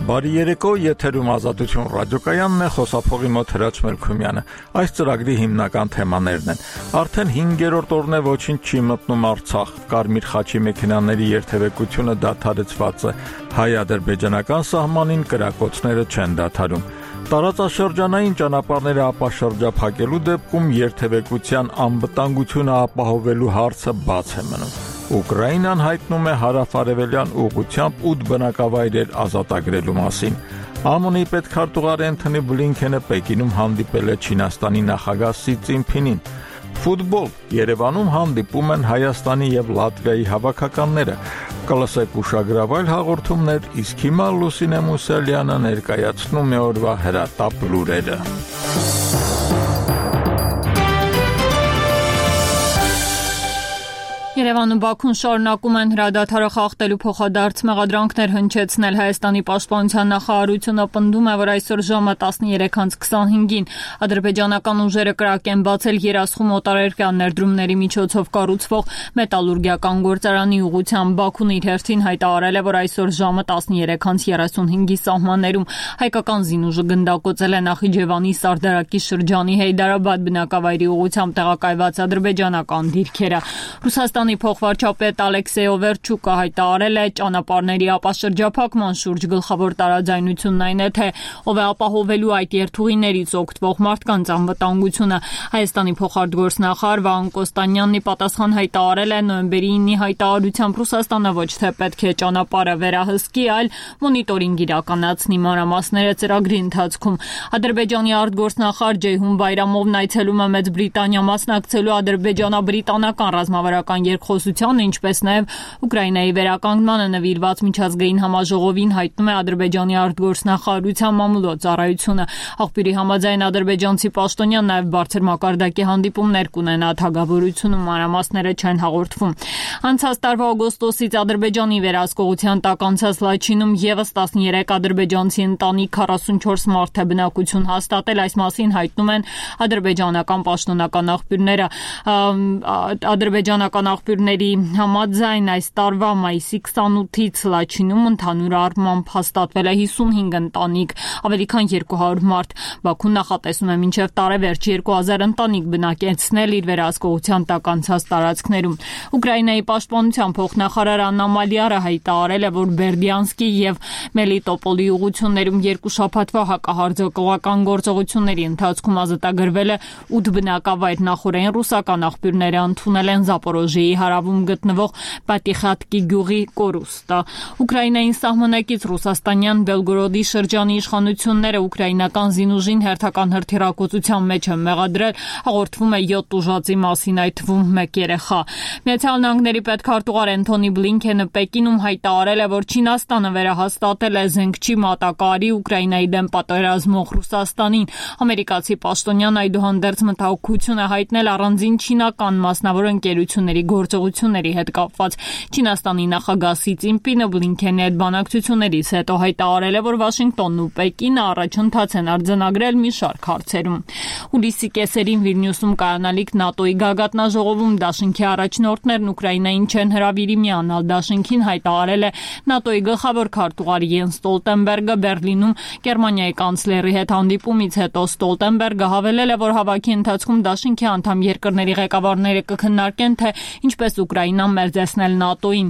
Բարի երեկո, եթերում Ազատություն ռադիոկայանն է, խոսափողի մոտ Հրաչ Մելքումյանը։ Այս ծրագրի հիմնական թեմաներն են. արդեն 5-րդ օրն է ոչինչ չի մտնում Արցախ, Կարմիր խաչի մեքենաների երթևեկությունը դադարեցված է, հայ-ադրբեջանական սահմանին կրակոցները չեն դադարում։ Տարածաշրջանային ճանապարհները ապաշրջափակելու դեպքում երթևեկության անվտանգությունը ապահովելու հարցը բաց է մնում։ Ուկրաինան հայտնում է հարավ-արևելյան ուղղությամբ 8 բնակավայրեր ազատագրելու մասին։ ԱՄՆ-ի պետքարտուղար Էնթոնի Բլինքենը Պեկինում հանդիպել է Չինաստանի նախագահ Սի Ցզինփինին։ Ֆուտբոլ. Երևանում հանդիպում են Հայաստանի եւ Լատվիայի հավաքականները։ Կլսեք ուշագրավայր հաղորդումներ, իսկ հիմա Լուսինե Մուսալյանը ներկայացնում է օրվա հրատապ լուրերը։ Երևանում Բաքուն շարունակում են հրադադարը խախտելու փոխադարձ մեղադրանքներ հնչեցնել։ Հայաստանի պաշտպանության նախարարությունը պնդում է, որ այսօր ժամը 13:25-ին ադրբեջանական ուժերը կրակ են բացել Երասխում օտարերկրյա ներդրումների միջոցով կառուցվող մետալուրգիական գործարանի ուղղությամբ։ Բաքուն իր հերթին հայտարարել է, որ այսօր ժամը 13:35-ի սահմաններում հայկական զինուժը գնդակոծել է Նախիջևանի Սարդարակի շրջանի Հեյդարաբադ բնակավայրի ուղղությամբ տեղակայված ադրբեջանական դիրքերը։ Ռուսաստանի փոխվարչապետ Ալեքսեյ Օվերչուկը հայտարարել է ճանապարհների ապաշրջափակման շուրջ գլխավոր տարաձայնությունն այն է, թե ով է ապահովելու այդ երթուղիներից օգտվող մարդկանց անվտանգությունը։ Հայաստանի փոխարտգործնախարար Վահան Կոստանյանն ի պատասխան հայտարարել է նոյեմբերի 9-ի հայտարարությամբ Ռուսաստանը ոչ թե պետք է ճանապարհը վերահսկի, այլ մոնիտորինգ իրականացնի մանրամասները ծրագրի ընթացքում։ Ադրբեջանի արտգործնախարար Ջեյհուն Բայրամովն այցելում է Մեծ Բրիտանիա մասնակցելու ադրբեջանա-բրիտանական ռազմավարական երկխոսությանը, ինչպես նաև Ուկրաինայի վերականգնմանը նվիրված միջազգային համաժողովին, հայտնում է Ադրբեջանի արտգործնախարարության մամուլոյ ծառայությունը։ Աղբյուրի համաձայն ադրբեջանցի պաշտոնյան նաև բարձր մակարդակի հանդիպումներ կունենա թագավորությունում, մանրամասները չեն հաղորդվում։ Անցած տարվա օգոստոսից Ադրբեջանի վերահսկողության տակ անցած Լաչինում եւս 13 ադրբեջանցի ընտանիք 44 մարդ է բնակություն հաստատել, այս մասին հայտնում են ադրբեջանական պաշտոնական աղբյուրները։ Ադրբեջանական աղբյուրների համաձայն այս տարվա մայիսի 28-ից Լաչինում ընդհանուր առմամբ հաստատվել է 55 ընտանիք, ավելի քան 200 մարդ։ Բաքուն նախատեսում է մինչև տարեվերջ 2000 ընտանիք բնակեցնել իր վերահսկողության տակ անցած տարածքներում։ Ուկրաինայի պաշտպանության փոխնախարար Աննա Մալիարը հայտարարել է, որ Բերդյանսկի եւ Մելիտոպոլի ուղություններում 2 շաբաթվա հակահարձակողական գործողությունների ընթացքում ազատագրվել է 8 բնակավայր։ Նախորդին ռուսական աղբյուրները ընդունել են Զապորոժիեի հարավում գտնվող Պատիխատկի գյուղի կորուստը։ Ուկրաինային սահմանակից ռուսաստանյան Բելգորոդի շրջանի իշխանությունները ուկրաինական զինուժին հերթական հրթիռակոծության մեջ են մեղադրել, հաղորդվում է 7 ուժածի մասին, այդ թվում 1 երեխա։ Միացյալ Նահանգների պետքարտուղար Էնթոնի Բլինքենը Պեկինում հայտարարել է, որ Չինաստանը վերահաստատել է զենքչի մատակարարի Ուկրաինայի դեմ պատերազմող Ռուսաստանին։ Ամերիկացի պաշտոնյան այդուհանդերձ մտահոգություն է հայտնել առանձին չինական մասնավոր ընկերությունների գործողությունների հետ կապված։ Չինաստանի նախագահ Սի Ցզինփինը Բլինքենի հետ բանակցություններից հետո հայտարարել է, որ Վաշինգտոնն ու Պեկինը առաջընթաց են արձանագրել մի շարք հարցերում։ Հուլիսի կեսերին Վիլնյուսում կայանալիք ՆԱՏՕ-ի գագաթնաժողովում դաշինքի առաջնորդներն Ուկրաինային չեն հրավիրի միանալ։ Դաշինքին հայտարարել է ՆԱՏՕ-ի գլխավոր քարտուղար Յենս Ստոլտենբերգը Բերլինում Գերմանիայի կանցլերի հետ հանդիպումից հետո Ստոլտենբերգը հավելել է, որ հավաքի ընթացքում դաշինքի անդամ երկրների ղեկավարները կքննարկեն, թե ինչպես Ուկրաինան մերձեցնել ՆԱՏՕ-ին։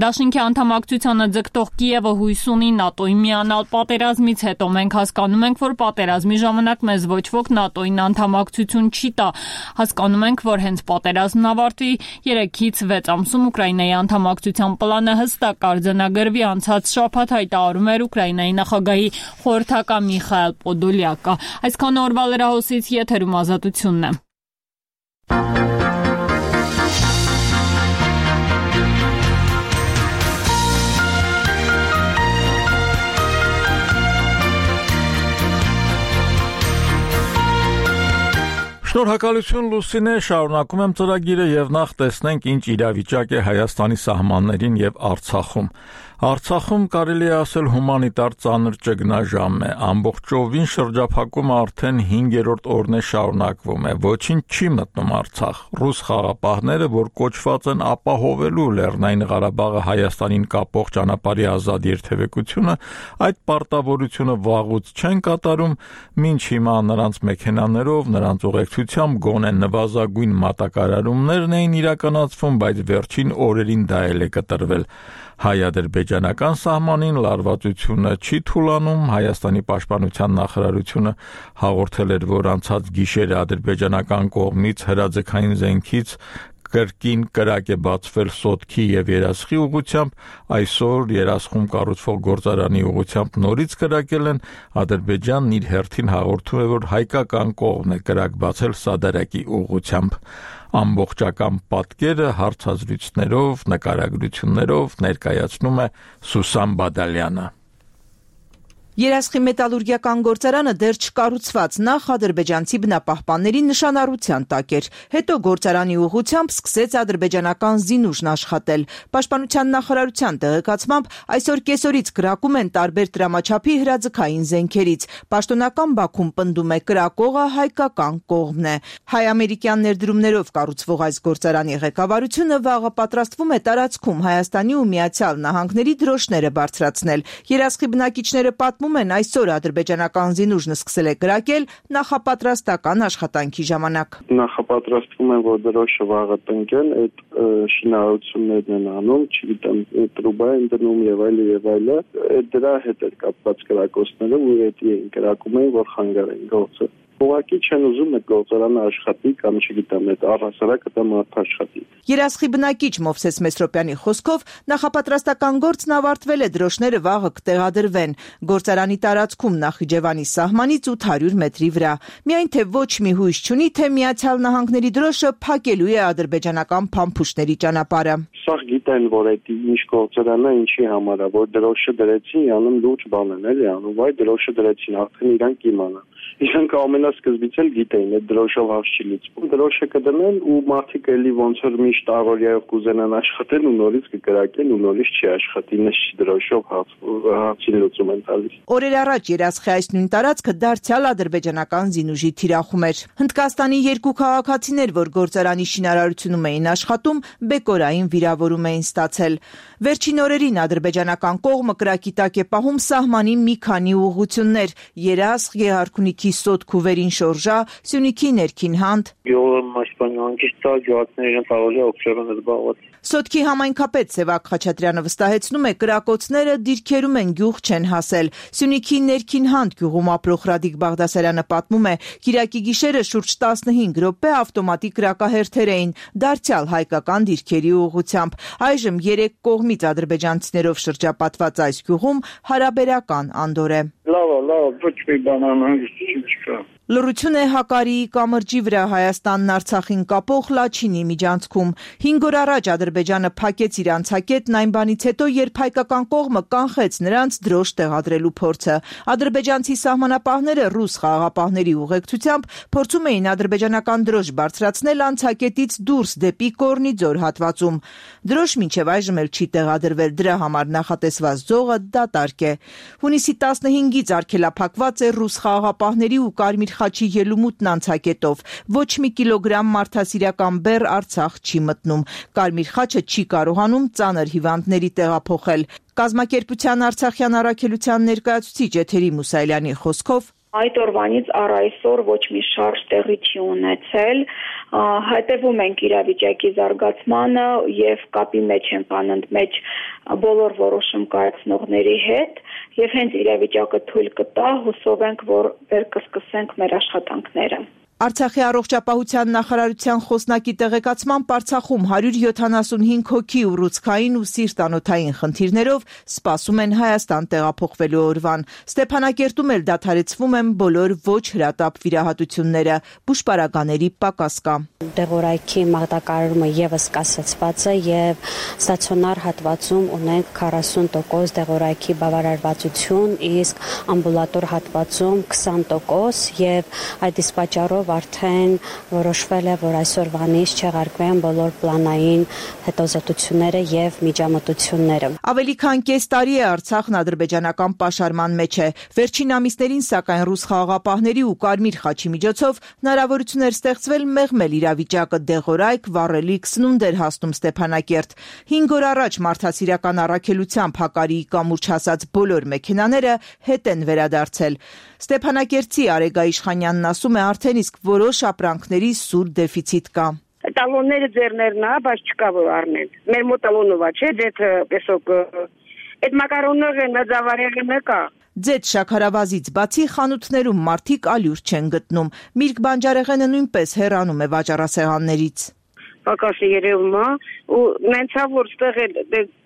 Դաշինքի անդամակցությանը ձգտող Կիևը հույս ունի ՆԱՏՕ-ին միանալ պատերազմից հետո։ Մենք հասկանում ենք, որ պատերազմի ժամանակ մեզ ոչ ոք ՆԱՏՕ-ին անդամակցություն չի տա։ Հասկանում ենք, որ հենց պատերազմն ավարտվի 3-ից 6 ամսում Ուկրաինայի անդամակցության պլանը հստակ կարձանագրվի, անցած շաբաթ հայտարարում էր Ուկրաինայի նախագահի խորհրդական Միխայել Պոդոլյակը։ Այսքան օրվա լրահոսից եթերում Ազատությունն է։ Շնորհակալություն Լուսինե, շարունակում եմ ծրագիրը եւ նախ տեսնենք ինչ իրավիճակ է Հայաստանի սահմաններին եւ Արցախում։ Արցախում կարելի է ասել հումանիտար ծանր ճգնաժամ է, ամբողջովին շրջափակումը արդեն 5-րդ օրն է շարունակվում է, ոչինչ չի մտնում Արցախ։ Ռուս խաղապահները, որ կոչված են ապահովելու Լեռնային Ղարաբաղը Հայաստանին կապող ճանապարհի ազատ երթևեկությունը, այդ պարտավորությունը վաղուց չեն կատարում, մինչ հիմա նրանց մեքենաներով, նրանց ուղեկցությամբ գոնե նվազագույն մատակարարումներն էին իրականացվում, բայց վերջին օրերին դա էլ է կտրվել։ Հայ-ադրբեջանական սահմանին լարվածությունը չի թուլանում, Հայաստանի պաշտպանության նախարարությունը հաղորդել էր, որ անցած գիշերը ադրբեջանական կողմից հրաձգային զենքից կրկին կրակ է բացվել Սոտքի եւ Երասխի ուղղությամբ, այսօր Երասխում կառուցվող գործարանի ուղղությամբ նորից կրակել են, Ադրբեջանն իր հերթին հաղորդում է, որ հայկական կողմն է կրակ բացել Սադարակի ուղղությամբ։ Ամբողջական պատկերը հարցազրույցներով, նկարագրություններով ներկայացնում է Սուսան Բադալյանը։ Երասխի մետալուրգիական գործարանը դեռ չկառուցված, նախ ադրբեջանցի բնապահպանների նշանառության տակ էր, հետո գործարանի ուղղությամբ սկսեց ադրբեջանական զինուժն աշխատել։ Պաշտպանության նախարարության տեղեկացմամբ այսօր կեսօրից կրակում են տարբեր տրամաչափի հրաձգային զենքերից։ Պաշտոնական Բաքուն պնդում է կրակողը հայկական կողմն է։ Հայ-ամերիկյան ներդրումներով կառուցվող այս գործարանի ղեկավարությունը վաղը պատրաստվում է տարածքում Հայաստանի ու Միացյալ Նահանգների դրոշները բարձրացնել։ Երասխի բնակիչները պատմում են, այսօր ադրբեջանական զինուժն սկսել է կրակել նախապատրաստական աշխատանքի ժամանակ։ Նախապատրաստվում են, որ դրոշը վաղը տնկեն, այդ շինարարություններն են անում, չգիտեմ, տրուբա են դնում եւ այլը, դրա հետ էր կապված կրակոցները, ու այդ կրակում էին, որ խանգարեն գործը։ Ուղղակի չեն ուզում այդ գործարանը աշխատի կամ չգիտեմ, այդ առհասարակ դա մարդ աշխատի։ Երասխի բնակիչ Մովսես Մեսրոպյանի խոսքով նախապատրաստական գործն ավարտվել է, դրոշները վաղը կտեղադրվեն։ Գործարանի տարածքում Նախիջևանի սահմանից 800 մետրի վրա։ Միայն թե ոչ մի հույս չունի, թե Միացյալ Նահանգների դրոշը փակելու է ադրբեջանական փամփուշտների ճանապարհը։ Սա գիտեն, որ այդ ինչ գործարանը ինչի համար է, որ դրոշը դրեցին, անում լուրջ բան են, էլի անում, այ դրոշը դրեցին, արդեն իրանք իմանան։ Իրանք ամենասկզբից էլ գիտեին, այդ դրոշով հարց չի լուծվում։ Դրոշը կդնեն ու մարդիկ էլի ոնց որ միշտ առօրյայով կուզենան աշխատեն ու նորից կկրակեն ու նորից չի աշխատի, նշ դրոշով հարցի լուծում են տալիս։ Օրեր առաջ Երասխի այս նույն տարածքը դարձյալ ադրբեջանական զինուժի թիրախում էր։ Հնդկաստանի երկու քաղաքացիներ, որ գործարանի շինարարությունում էին աշխատում, բեկորային վիրավորում էին ստացել։ Վերջին օրերին ադրբեջանական կողմը կրակի տակ է պահում սահմանի մի քանի ուղղություններ՝ Երասխ, Գեհարքունիքի Սոտք ու Վերին Շորժա, Սյունիքի ներքին հանդ։ Սոտքի համայնքապետ Սևակ Խաչատրյանը վստահեցնում է, կրակոցները դիրքերում են, գյուղ չեն հասել։ Սյունիքի ներքին հանդ գյուղում ապրող Ռադիկ Բաղդասարյանը պատմում է, կիրակի գիշերը շուրջ 15 րոպե ավտոմատիկ կրակահերթեր էին, դարձյալ հայկական դիրքերի ուղղությամբ։ Այժմ 3 կողմից ադրբեջանցիներով շրջապատված այս գյուղում հարաբերական անդոր է։ Լավ, ոչ մի բան անհանգիստ չկա։ Լռություն է Հակարիի կամրջի վրա Հայաստանն Արցախին կապող Լաչինի միջանցքում։ 5 օր առաջ Ադրբեջանը փակեց իր անցակետն այն բանից հետո, երբ հայկական կողմը կանխեց նրանց դրոշ տեղադրելու փորձը։ Ադրբեջանցի սահմանապահները ռուս խաղաղապահների ուղեկցությամբ փորձում էին ադրբեջանական դրոշ բարձրացնել անցակետից դուրս դեպի Կորնիձոր հատվածում։ Դրոշ մինչև այժմ էլ չի տեղադրվել, դրա համար նախատեսված ձողը դատարկ է։ Հունիսի 15-ից արգելափակված է ռուս խաղաղապահների ու Կարմիր խաչի ելումուտն անցակետով։ Ոչ մի կիլոգրամ մարդասիրական բեռ Արցախ չի մտնում։ Կարմիր խաչը չի կարողանում ծանր հիվանդների տեղափոխել։ Կազմակերպության Արցախյան առաքելության ներկայացուցիչ Էթերի Մուսայելյանի խոսքով Այդ օրվանից առ այսօր ոչ մի շարժ տեղի չի ունեցել, հետևում ենք իրավիճակի զարգացմանը եւ կապի մեջ ենք անընդմեջ բոլոր որոշում կայացնողների հետ եւ հենց իրավիճակը թույլ կտա, հուսով ենք, որ վեր կսկսենք մեր աշխատանքները։ Արցախի առողջապահության նախարարության խոսնակի տեղեկացմամբ Արցախում 175 հոգի ուռուցքային ու սիրտանոթային խնդիրներով սպասում են Հայաստան տեղափոխվելու օրվան։ Ստեփանակերտում էլ դադարեցվում են բոլոր ոչ հրատապ վիրահատությունները, բուժպարագաների պակաս կա։ Դեղորայքի մաղդակարարումը եւս կասեցված է եւ ստացիոնար հատվածում ունենք 40% դեղորայքի բավարարվածություն, իսկ ամբուլատոր հատվածում 20% եւ այդ իսկ պատճառով արդեն որոշվել է, որ այսօրվանից չեղարկվեն բոլոր պլանային հետազոտությունները եւ միջամտությունները։ Ավելի քան կես տարի է Արցախն ադրբեջանական պաշարման մեջ է։ Վերջին ամիսներին, սակայն, ռուս խաղաղապահների ու Կարմիր խաչի միջոցով հնարավորություն էր ստեղծվել մեղմել իրավիճակը, դեղորայք, վառելիք, սնունդ էր հասնում Ստեփանակերտ։ 5 օր առաջ մարդասիրական առաքելությամբ Հակարիի կամուրջ հասած բոլոր մեքենաները հետ են վերադարձել։ Ստեփանակերտցի Արեգա Իշխանյանն ասում է, արդեն իսկ որոշ ապրանքների սուր դեֆիցիտ կա։ Տալոնները ձեռներն է, բայց չկա որ առնեն։ Մեր մոտ տալոնով է, չէ, դեթ պեսոկ։ Այդ մակարոնները նզավարեղը կա։ Ձեթ շաքարավազից բացի խանութներում մարդիկ ալյուր չեն գտնում։ Միրգ բանջարեղենը նույնպես հեռանում է վաճառասեղաններից։ Պակասը երևում է ու նենցա որ ստեղ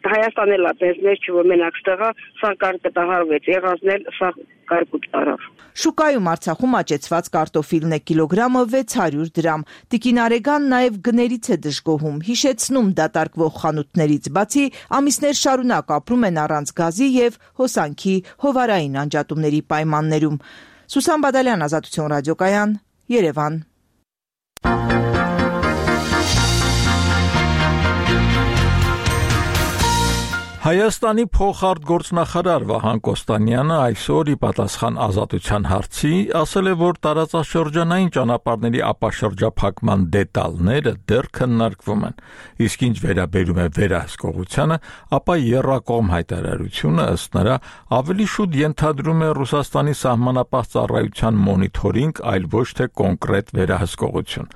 Հայաստան էլ է մեզ չի որ մենակ ստեղա սա կարտահարվեց եղածներ սա կարկուտ տարավ։ Շուկայում Արցախում աճեցված կարտոֆիլն է կիլոգրամը 600 դրամ։ Տիկին Արեգան նաև գներից է դժգոհում, հիշեցնում դատարկվող խանութներից բացի ամիսներ շարունակ ապրում են առանց գազի եւ հոսանքի հովարային անջատումների պայմաններում։ Սուսան Բադալյան, Ազատություն ռադիոկայան, Երևան։ Հայաստանի փոխարտգործնախարար Վահան Կոստանյանը այսօր ի պատասխան Ազատության հարցի ասել է, որ տարածաշրջանային ճանապարհների ապաշրջափակման դետալները դեռ քննարկվում են։ Իսկ ինչ վերաբերում է վերահսկողությանը, ապա եռակողմ հայտարարությունը ըստ նրա ավելի շուտ ենթադրում է Ռուսաստանի սահմանապահ ծառայության մոնիթորինգ, այլ ոչ թե կոնկրետ վերահսկողություն։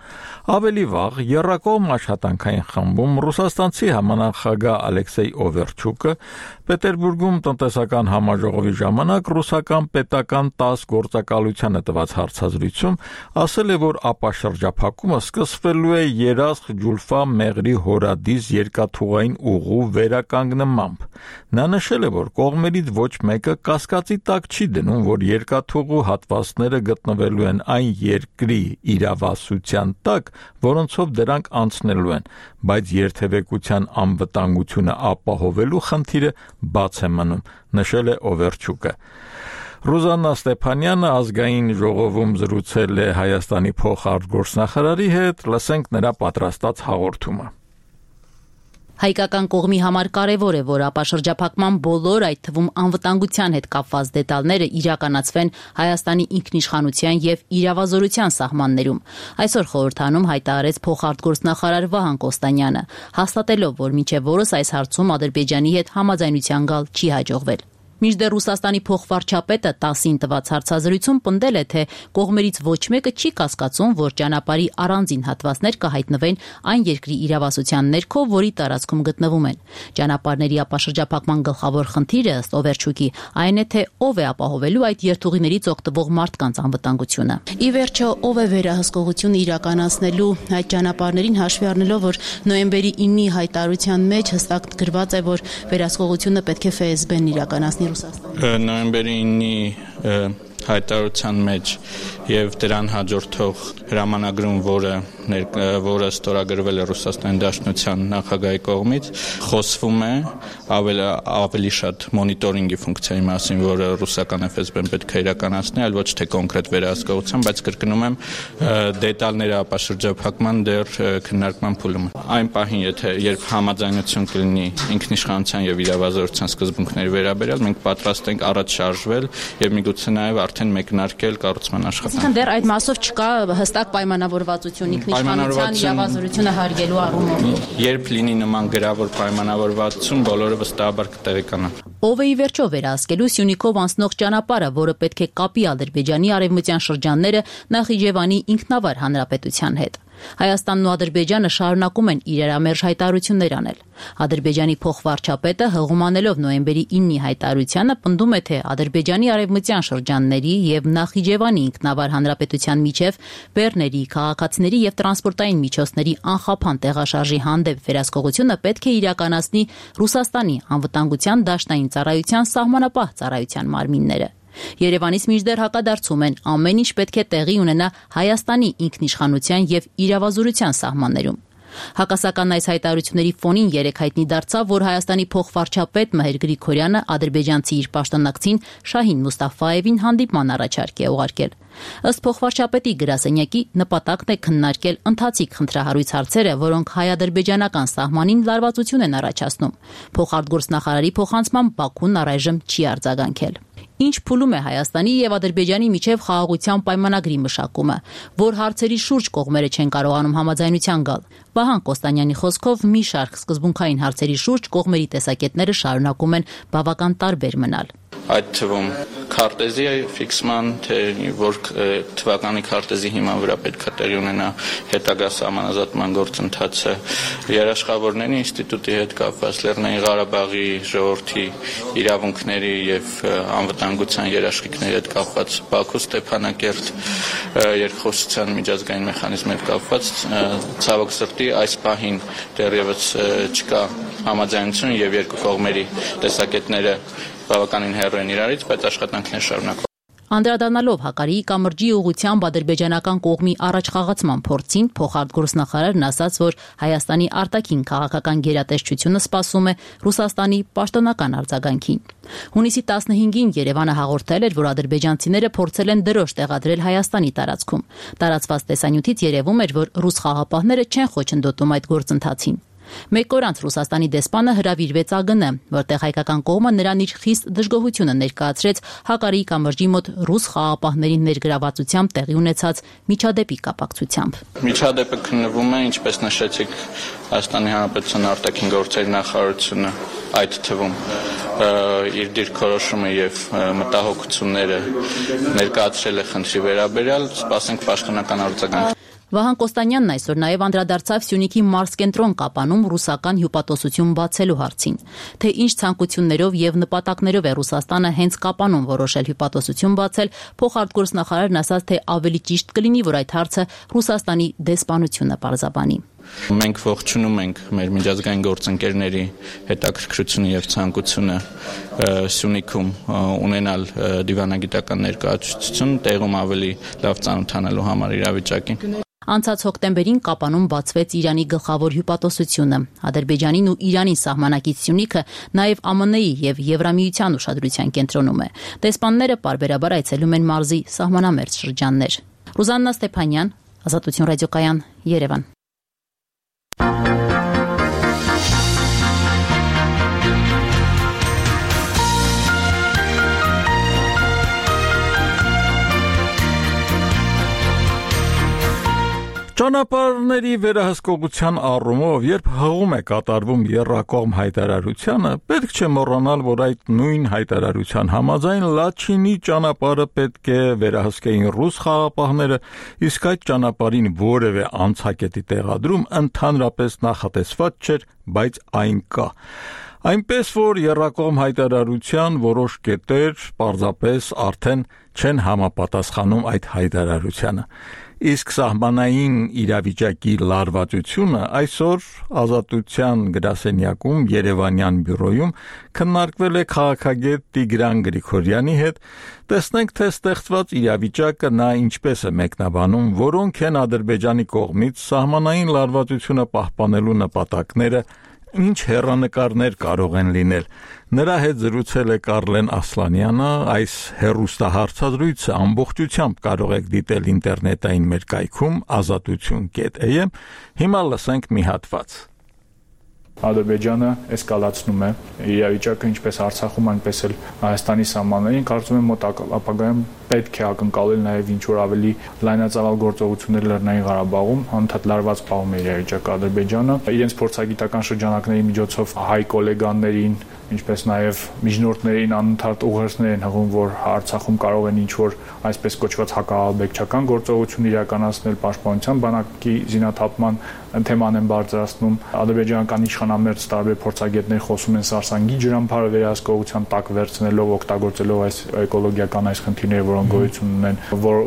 Ավելի վաղ եռակողմ աշխատանքային խմբում ռուսաստանցի համանախագահ Ալեքսեյ Օվերչուկը Պետերբուրգում տնտեսական համաժողովի ժամանակ ռուսական պետական 10 գործակալությանը տված հարցազրույցում ասել է, որ ապաշրջափակումը սկսվելու է Երասխ Ջուլֆա Մեղրի հորադիս երկաթուղային ուղու վերականգնմամբ։ Նա նշել է, որ կողմերից ոչ մեկը կասկածի տակ չի դնում, որ երկաթուղու հատվածները գտնվելու են այն երկրի իրավասության տակ, որոնցով դրանք անցնելու են, բայց երթևեկության անվտանգությունը ապահովելու խնդիրը բաց է մնում, նշել է Օվերչուկը։ Ռուզաննա Ստեփանյանը ազգային ժողովում զրուցել է Հայաստանի փոխարտգործնախարարի հետ, լսենք նրա պատրաստած հաղորդումը։ Հայկական կողմի համար կարևոր է, որ ապաշրջափակման բոլոր, այդ թվում անվտանգության հետ կապված դետալները իրականացվեն Հայաստանի ինքնիշխանության եւ իրավազորության սահմաններում։ Այսօր խորհրդանում հայտարարեց փոխարտգործնախարար Վահան Կոստանյանը, հաստատելով, որ մինչև օրս այս հարցում Ադրբեջանի հետ համաձայնության գալ չի հաջողվել։ Մինչդեռ Ռուսաստանի փոխվարչապետը 10-ին տված հարցազրույցում պնդել է, թե կողմերից ոչ մեկը չի կասկածում, որ ճանապարհի առանձին հատվածներ կհայտնվեն այն երկրի իրավասության ներքո, որի տարածքում գտնվում են։ Ճանապարհների ապաշրջափակման գլխավոր խնդիրը ըստ Օվերչուկի այն է, թե ով է ապահովելու այդ երթուղիներից օգտվող մարդկանց անվտանգությունը։ Ի վերջո, ով է վերահսկողություն իրականացնելու այդ ճանապարհներին հաշվի առնելով, որ նոյեմբերի 9-ի հայտարարության մեջ հստակ գրված է, որ վերահսկողությունը պետք է ՖՍԲ-ն իրականացնի Նոյեմբերի 9-ի հայտարարության մեջ եւ դրան հաջորդող հրամանագրում, որը ստորագրվել է Ռուսաստանի Դաշնության նախագահի կողմից, խոսվում է ավելի շատ մոնիտորինգի ֆունկցիայի մասին, որը ռուսական ՖՍԲ-ն պետք է իրականացնի, այլ ոչ թե կոնկրետ վերահսկողության, բայց կրկնում եմ, դետալները ապաշրջափակման դեռ քննարկման փուլում են։ Այն պահին, երբ համաձայնություն կլինի ինքնիշխանության եւ իրավազորության սկզբունքների վերաբերյալ, մենք պատրաստ ենք առաջ շարժվել եւ միգուցե նաեւ արդեն մեկնարկել կառուցման աշխատանքը։ Դեռ այդ մասով չկա հստակ պայմանավորվածություն ինքնիշխանության իրավազորությունը հարգելու առումով։ Երբ լինի նման գրավոր պայմանավորվածություն, բոլորը վստահաբար կտեղեկանան։ Ով է ի վերջո վերահսկելու Սյունիքով անցնող ճանապարհը, որը պետք է կապի Ադրբեջանի արևմտյան շրջանները Նախիջևանի ինքնավար հանրապետության հետ։ Հայաստանն ու Ադրբեջանը շարունակում են իրարամերժ հայտարարություններ անել։ Ադրբեջանի փոխվարչապետը հղումանելով նոյեմբերի 9-ի հայտարարությանը պնդում է, թե Ադրբեջանի արևմտյան շրջանների եւ Նախիջևանի ինքնավար հանրապետության միջև բեռների, քաղաքացիների եւ տրանսպորտային միջոցների անխափան տեղաշարժի հանդեպ վերահսկողությունը պետք է իրականացնի Ռուսաստանի անվտանգության դաշնային ծառայության սահմանապահ ծառայության մարմինները։ Երևանից մինչդեռ հակադարձում են, ամեն ինչ պետք է տեղի ունենա Հայաստանի ինքնիշխանության եւ իրավազորության սահմաններում։ Հակասական այս հայտարարությունների ֆոնին երեք հայտնի դարձավ, որ Հայաստանի փոխվարչապետ Մհեր Գրիգորյանը ադրբեջանցի իր պաշտոնակցին Շահին Մուստաֆաևին հանդիպման առաջարկ է ուղարկել։ Ըստ փոխվարչապետի գրասենյակի նպատակն է քննարկել ընթացիկ խնդրահարույց հարցերը, որոնք հայ-ադրբեջանական սահմանին լարվածություն են առաջացնում։ Փոխարտգործնախարարի փոխանցմամբ Բաքուն առայժմ չի արձագանքել։ Ինչ փուլում է Հայաստանի եւ Ադրբեջանի միջև խաղաղության պայմանագրի մշակումը, որ հարցերի շուրջ կողմերը չեն կարողանում համաձայնության գալ։ Վահան Կոստանյանի խոսքով մի շարք սկզբունքային հարցերի շուրջ կողմերի տեսակետները շարունակում են բավական տարբեր մնալ։ Այդ թվում քարտեզի ֆիքսման, թե որ թվականի քարտեզի հիման վրա պետք է տեղի ունենա հետագա սահմանազատման գործընթացը, երաշխավորների ինստիտուտի հետ կապված, Լեռնային Ղարաբաղի ժողովրդի իրավունքների եւ անվտանգության երաշխիքների հետ կապված, Բաքու Ստեփանակերտ երկխոսության միջազգային մեխանիզմի հետ կապված, ցավոք սրտի այս պահին դեռևս չկա համաձայնություն եւ երկու կողմերի տեսակետները բավականին հեռու են իրարից, բայց աշխատանքներ շարունակվում։ Անդրադառնալով Հակարիի կամրջի ուղղությամբ ադրբեջանական կողմի առաջխաղացման փորձին, փոխարտգործնախարարն ասաց, որ Հայաստանի արտաքին քաղաքական գերատեսչությունը սպասում է Ռուսաստանի պաշտոնական արձագանքին։ Հունիսի 15-ին Երևանը հաղորդել էր, որ ադրբեջանցիները փորձել են դրոշ տեղադրել Հայաստանի տարածքում։ Տարածված տեսանյութից երևում էր, որ ռուս խաղապահները չեն խոչընդոտում այդ գործընթացին։ Մեկ օր անց Ռուսաստանի դեսպանը հրավիրվեց ԱԳՆ, որտեղ հայկական կողմը նրան իր խիստ դժգոհությունը ներկայացրեց Հակարիի կամրջի մոտ ռուս խաղապահների ներգրավվածությամբ տեղի ունեցած միջադեպի կապակցությամբ։ Միջադեպը քննվում է, ինչպես նշեցիք, Հայաստանի Հանրապետության արտաքին գործերի նախարարությունը այդ թվում իր դիրքորոշումը եւ մտահոգությունները ներկայացրել է խնդրի վերաբերյալ, սպասենք պաշտոնական արձագանք։ Վահան Կոստանյանն այսօր նաև անդրադարձավ Սյունիքի Մարսկենտրոն կապանում ռուսական հյուպատոսություն բացելու հարցին, թե ինչ ցանկություններով եւ նպատակներով է Ռուսաստանը հենց կապանում որոշել հյուպատոսություն բացել, փոխարտգործնախարարն ասաց, թե ավելի ճիշտ կլինի, որ այդ հարցը Ռուսաստանի դեսպանությունը պարզաբանի։ Մենք ողջունում ենք մեր միջազգային գործընկերների հետաքրքրությունը եւ ցանկությունը Սյունիքում ունենալ դիվանագիտական ներկայացուցիչություն, տեղում ավելի լավ ծանոթանալու համար իրավիճակին։ Անցած հոկտեմբերին Կապանում բացվեց Իրանի գլխավոր հյուպատոսությունը։ Ադրբեջանին ու Իրանի սահմանակից Սյունիքը նաև ԱՄՆ-ի եւ Եվրամիության ուշադրության կենտրոնում է։ Դեսպանները պարբերաբար այցելում են մարզի սահմանամերձ շրջաններ։ Ռուզաննա Ստեփանյան, Ազատություն ռադիոկայան, Երևան։ Ճանապարհների վերահսկողության առումով, երբ հղում է կատարվում եռակողմ հայտարարությանը, պետք չէ մոռանալ, որ այդ նույն հայտարարության համաձայն Լաչինի ճանապարհը պետք է վերահսկեին ռուս խաղապահները, իսկ այդ ճանապարհին որևէ անցակետի տեղադրում ընդհանրապես նախատեսված չէր, բայց այն կա։ Այնպես որ եռակողմ հայտարարության որոշ կետեր պարզապես արդեն չեն համապատասխանում այդ հայտարարությանը։ Իսկ սահմանային իրավիճակի լարվածությունը այսօր Ազատության գրասենյակում Երևանյան բյուրոյում քննարկվել է քաղաքագետ Տիգրան Գրիգորյանի հետ։ Տեսնենք, թե ստեղծված իրավիճակը նա ինչպես է մեկնաբանում, որոնք են Ադրբեջանի կողմից սահմանային լարվածությունը պահպանելու նպատակները, ինչ հեռանկարներ կարող են լինել։ Նրա հետ զրուցել է Կարլեն Ասլանյանը, այս հեռուստահարցազրույցը ամբողջությամբ կարող եք դիտել ինտերնետային մեր կայքում azatutun.am։ Հիմա լսենք մի հատված։ Ադրբեջանը էսկալացնում է իրավիճակը ինչպես Արցախում, այնպես էլ Հայաստանի սահմաններին, կարծում եմ մոտ ապագայում պետք է ակնկալել նաև ինչ որ ավելի լայնածավալ գործողություններ Լեռնային Ղարաբաղում, անընդհատ լարված պահում է իրավիճակը Ադրբեջանը, իրենց փորձագիտական շրջանակների միջոցով հայ գոլեգաներին, ինչպես նաև միջնորդներին անընդհատ ուղերձներ են հղում, որ Արցախում կարող են ինչ որ այսպես կոչված հակահաղորդակցական գործողություն իրականացնել, պաշտպանության բանակի զինաթափման թեման են բարձրացնում։ Ադրբեջանական իշխանամերձ տարբեր փորձագետներ խոսում են Սարսանգի ջրամբարը վերահսկողության տակ վերցնելով, օգտագործելով այս էկոլոգիական այս խնդիրները, որոնք գոյություն ունեն,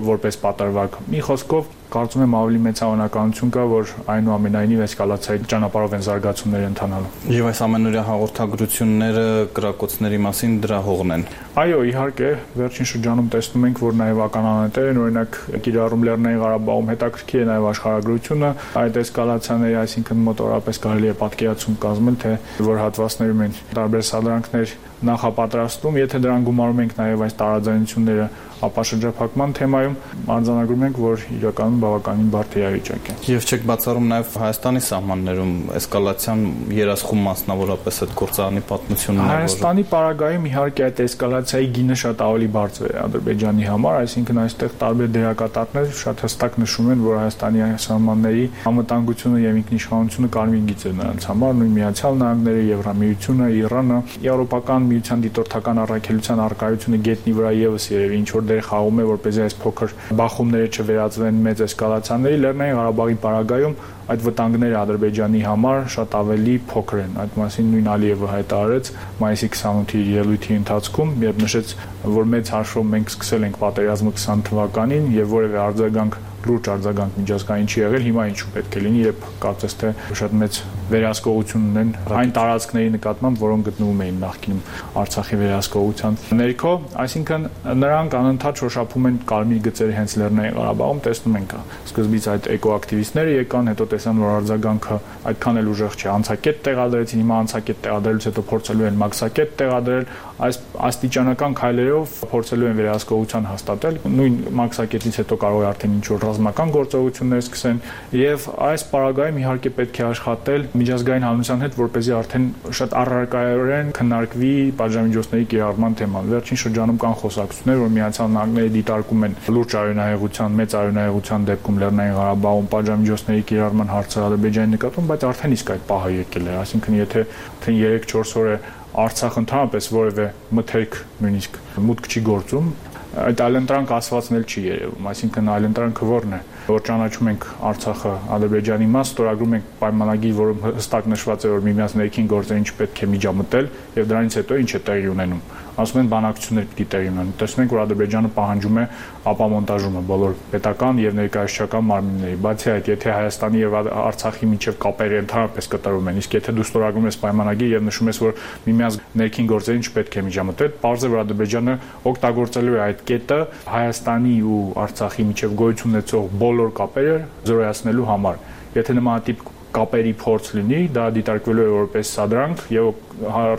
որպես պատրվակ։ Մի խոսքով կարծում եմ ավելի մեծ հավանականություն կա, որ այնուամենայնիվ էսկալացիայի ճանապարհով են զարգացումները ընթանալու։ Եվ այս ամենօրյա հաղորդագրությունները կրակոցների մասին դրա հողն են։ Այո, իհարկե, վերջին շրջանում տեսնում ենք, որ նաև ականանետեր են, օրինակ Կիրառում Լեռնային Ղարաբաղում հետաքրքիր է նաև աշխարհագրությունը, այդ էսկալացիաների, այսինքն մոտորապես կարելի է պատկերացում կազմել, թե որ հատվածներում են տարբեր սադրանքներ նախապատրաստում, եթե դրան գումարում ենք նաև այս տարաձայնությունները ապա շրջափակման թեմայում արձանագրում ենք, որ իրականում բավականին բարդ իրավիճակ է։ Եվ չեք բացառում նաև Հայաստանի սահմաններում էսկալացիան երասխում մասնավորապես այդ գործարանի պատմությունն է, Հայաստանի պարագայում իհարկե այդ էսկալացիայի գինը շատ ավելի բարձր է Ադրբեջանի համար, այսինքն այստեղ տարբեր դերակատարներ շատ հստակ նշում են, որ Հայաստանի սահմանների անվտանգությունը եւ ինքնիշխանությունը կարմիր գիծ է նրանց համար, նույն Միացյալ Նահանգները, Եվրամիությունը, Իրանը, Եվրոպական միության դիտորդական առաքելության արկայությունը գետնի վրա եւս երևի ինչ որ դեր խաղում է, որպեսզի այս փոքր բախումները չվերածվեն մեծ էսկալացիաների, Լեռնային Ղարաբաղի պարագայում այդ վտանգները Ադրբեջանի համար շատ ավելի փոքր են։ Այդ մասին նույն Ալիևը հայտարարեց մայիսի 28-ի ելույթի ընթացքում, երբ նշեց, որ մեծ հաշվով մենք սկսել ենք պատերազմը 20 թվականին եւ որևէ արձագանք լուրջ արձագանք միջազգային չի եղել, հիմա ինչու պետք է լինի, երբ կարծես թե շատ մեծ վերահսկողություն ունեն այն տարածքների նկատմամբ, որոնք գտնվում էին նախկինում Արցախի վերահսկողության ներքո, այսինքն նրանք անընդհատ շոշափում են կարմիր գծերը հենց Լեռնային Ղարաբաղում, տեսնում ենք, սկզբից այդ էկոակտիվիստները եկան, հետո տեսան, որ արձագանքը այդքան էլ ուժեղ չէ, անցակետ տեղադրեցին, հիմա անցակետ տեղադրելուց հետո փորձելու են մաքսակետ տեղադրել, այս աստիճանական քայլերով փորձելու են վերահսկողության հաստատել, նույն մաքսակետից հետո կարող է արդեն ինչ-որ ռազմական գործողություններ սկսեն եւ այս պարագայում իհարկե պետք է աշխատել միջազգային հանրության հետ, որպեսզի արդեն շատ առարկայորեն քննարկվի պատժամիջոցների կիրառման թեման։ Վերջին շրջանում կան խոսակցություններ, որ Միացյալ Նահանգները դիտարկում են լուրջ արյունահեղության, մեծ արյունահեղության դեպքում Լեռնային Ղարաբաղում պատժամիջոցների կիրառման հարցը Ադրբեջանի նկատմամբ, բայց արդեն իսկ այդ պահը եկել է, այսինքն եթե 3-4 օր է Արցախ ընդհանրապես որևէ մթերք նույնիսկ մուտք չի գործում, այդ այլընտրանք ասվածն էլ չի երևում, այսինքն այլընտրանքը որն է, որ ճանաչում ենք Արցախը Ադրբեջանի մաս, ստորագրում ենք պայմանագիր, որում հստակ նշված է, որ միմյանց ներքին գործերին չպետք է միջամտել եւ դրանից հետո ինչ է տեղի ունենում։ Ասում են բանակցություններ պիտի տեղի ունենան։ Տեսնում ենք, որ Ադրբեջանը պահանջում է ապամոնտաժումը բոլոր պետական եւ ներկայացուցչական մարմինների։ Բացի այդ, եթե Հայաստանի եւ Արցախի միջև կապերը ընդհանրապես կտրվում են, իսկ եթե դու ստորագրում ես պայմանագիր եւ նշում ես, որ միմյանց ներքին գործերին չպետք է միջամտել, պարզ է, որ Ադրբեջանը օգտագործելու է այդ կետը Հայաստանի ու Արցախի միջև գոյություն ունեցող բոլոր կապերը զորացնելու համար։ Եթե նմանատիպ կապերի փորձ լինի, դա դիտարկվելու է որպես սադրանք եւ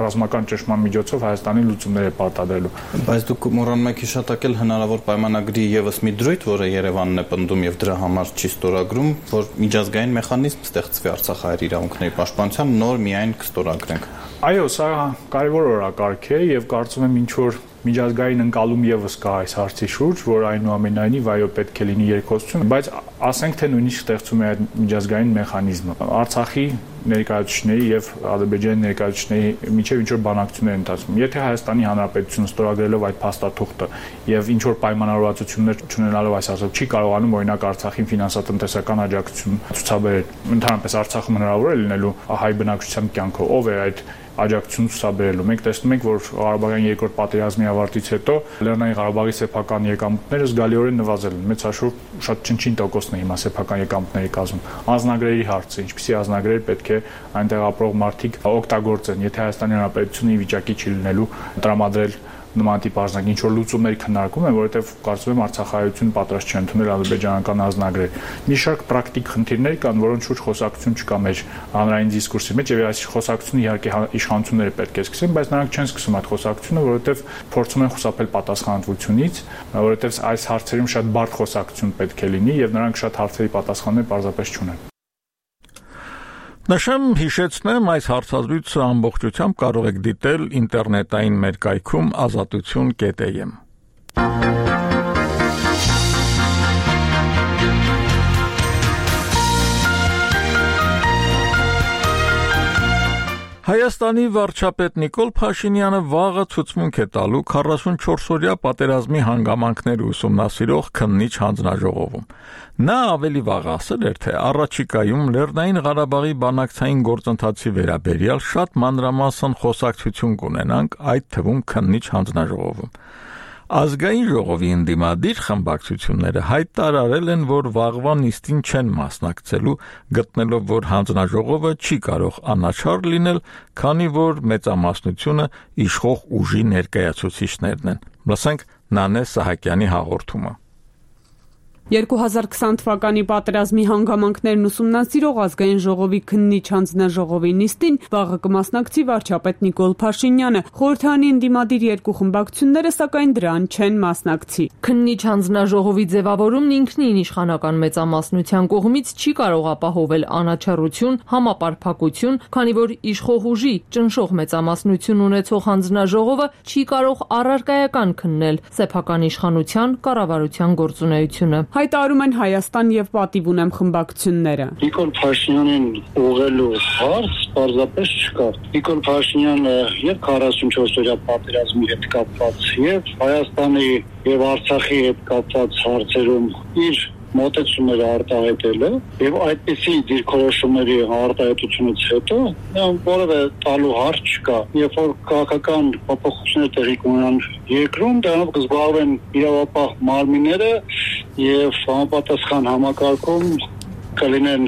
ռազմական ճնշման միջոցով Հայաստանին լուծումներ է պարտադրելու։ Բայց դուք մոռանում եք հիշատակել հնարավոր պայմանագրի եւս մի դրույթ, որը Երևանն է պնդում եւ դրա համար չի ստորագրում, որ միջազգային մեխանիզմ ստեղծվի Արցախահայերի իրավունքների պաշտպանության, նոր միայն կստորագրենք։ Այո, սա կարևոր օրակարգ է եւ կարծում եմ ինչ որ միջազգային ընկալում եւս կա այս հարցի շուրջ, որ այնուամենայնիվ այո պետք է լինի երկխոսություն, բայց ասենք թե նույնիսկ ստեղծում է այդ միջազգային մեխանիզմը։ Արցախի ներկայացուցիչների եւ Ադրբեջանի ներկայացուցիչների միջև ինչ որ բանակցություններ ընթացվում։ Եթե Հայաստանի Հանրապետությունը ստորագրելով այդ փաստաթուղթը եւ ինչ որ պայմանավորվածություններ չունենալով այս ասած չի կարողանում օրինակ Արցախին ֆինանսատնտեսական աջակցություն ցուցաբերել, ընդհանրապես Արցախում հնարավոր է լինելու հայ բնակչության կյանքով, ով է այդ աջակցություն ցուցաբերելու։ Մենք տեսնում ենք, որ Ղարաբաղյան երկրորդ պատերազմի ավարտից հետո Լեռնային Ղարաբաղի սեփական եկամուտները զգալիորեն նվազել են։ Մեծ հաշվով շատ չնչին տոկոսն է հիմա սեփական եկամուտների կազմում։ Անձնագրերի հարցը, ինչպիսի անձնագրեր պետք է այնտեղ ապրող մարդիկ օգտագործեն, եթե Հայաստանի Հանրապետությունը ի վիճակի չի լինելու տրամադրել նմանատիպ արժանակ, ինչ որ լուծումների քննարկում են, որովհետև կարծում եմ Արցախահայությունը պատրաստ չի ընդունել ադրբեջանական անձնագրեր։ Մի շարք պրակտիկ խնդիրներ կան, որոնց շուրջ խոսակցություն չկա մեր հանրային դիսկուրսի մեջ, եւ այս խոսակցությունը իհարկե իշխանությունները պետք է սկսեն, բայց նրանք չեն սկսում այդ խոսակցությունը, որովհետև փորձում են խուսափել պատասխանատվությունից, որովհետև այս հարցերում շատ բարդ խոսակցություն պետք է լինի եւ նրանք շատ հարցերի պատասխաններ պարզապես չունեն։ Նշեմ, հիշեցնեմ, այս հարցազրույցը ամբողջությամբ կարող եք դիտել ինտերնետային մեր կայքում azatutun.am։ Հայաստանի վարչապետ Նիկոլ Փաշինյանը վաղը ցուցմունք է տալու 44-օրյա պատերազմի հանգամանքները ուսումնասիրող քննիչ հանձնաժողովում։ Նա ավելի վաղ ասել էր, թե առաջիկայում Լեռնային Ղարաբաղի բանակցային գործընթացի վերաբերյալ շատ մանրամասն խոսակցություն կունենանք, այդ թվում քննիչ հանձնաժողովում։ Ազգային ժողովի ընդդիմադիր խմբակցությունները հայտարարել են, որ վաղվա նիստին չեն մասնակցելու, գտնելով, որ հանձնաժողովը չի կարող անաչառ լինել, քանի որ մեծամասնությունը իշխող ուժի ներկայացուցիչներն են։ Լսենք Նանե Սահակյանի հաղորդումը։ 2020 թվականի պատերազմի հանգամանքներն ուսումնասիրող ազգային ժողովի քննիչ հանձնաժողովի նիստին վաղը կմասնակցի վարչապետ Նիկոլ Փաշինյանը, խորհրդարանի ընդդիմադիր երկու խմբակցությունները սակայն դրան չեն մասնակցի։ Քննիչ հանձնաժողովի ձևավորումն ինքնին իշխանական մեծամասնության կողմից չի կարող ապահովել անաչառություն, համապարփակություն, քանի որ իշխող ուժի ճնշող մեծամասնություն ունեցող հանձնաժողովը չի կարող առարկայական քննել սեփական իշխանության կառավարության գործունեությունը։ Հայտարարում են Հայաստան եւ Պատիվ ունեմ խմբակցությունները։ Նիկոլ Փաշինյանին ուղղելու հարց պարզապես չկա։ Նիկոլ Փաշինյանը եւ 44-օրյա պատերազմի հետ կապված եւ Հայաստանի եւ Արցախի հետ կապված հարցերում իր մոտեցումները արտահայտել է եւ այդպիսի դիրքորոշումների արտահայտությունից հետո որևէ տալու հարց չկա։ Երբ որ քաղաքական փոփոխություններ տեղի կունենան երկրում, դրանով կզբաղվեն իրավապահ մարմինները եւ համապատասխան համակարգում կլինեն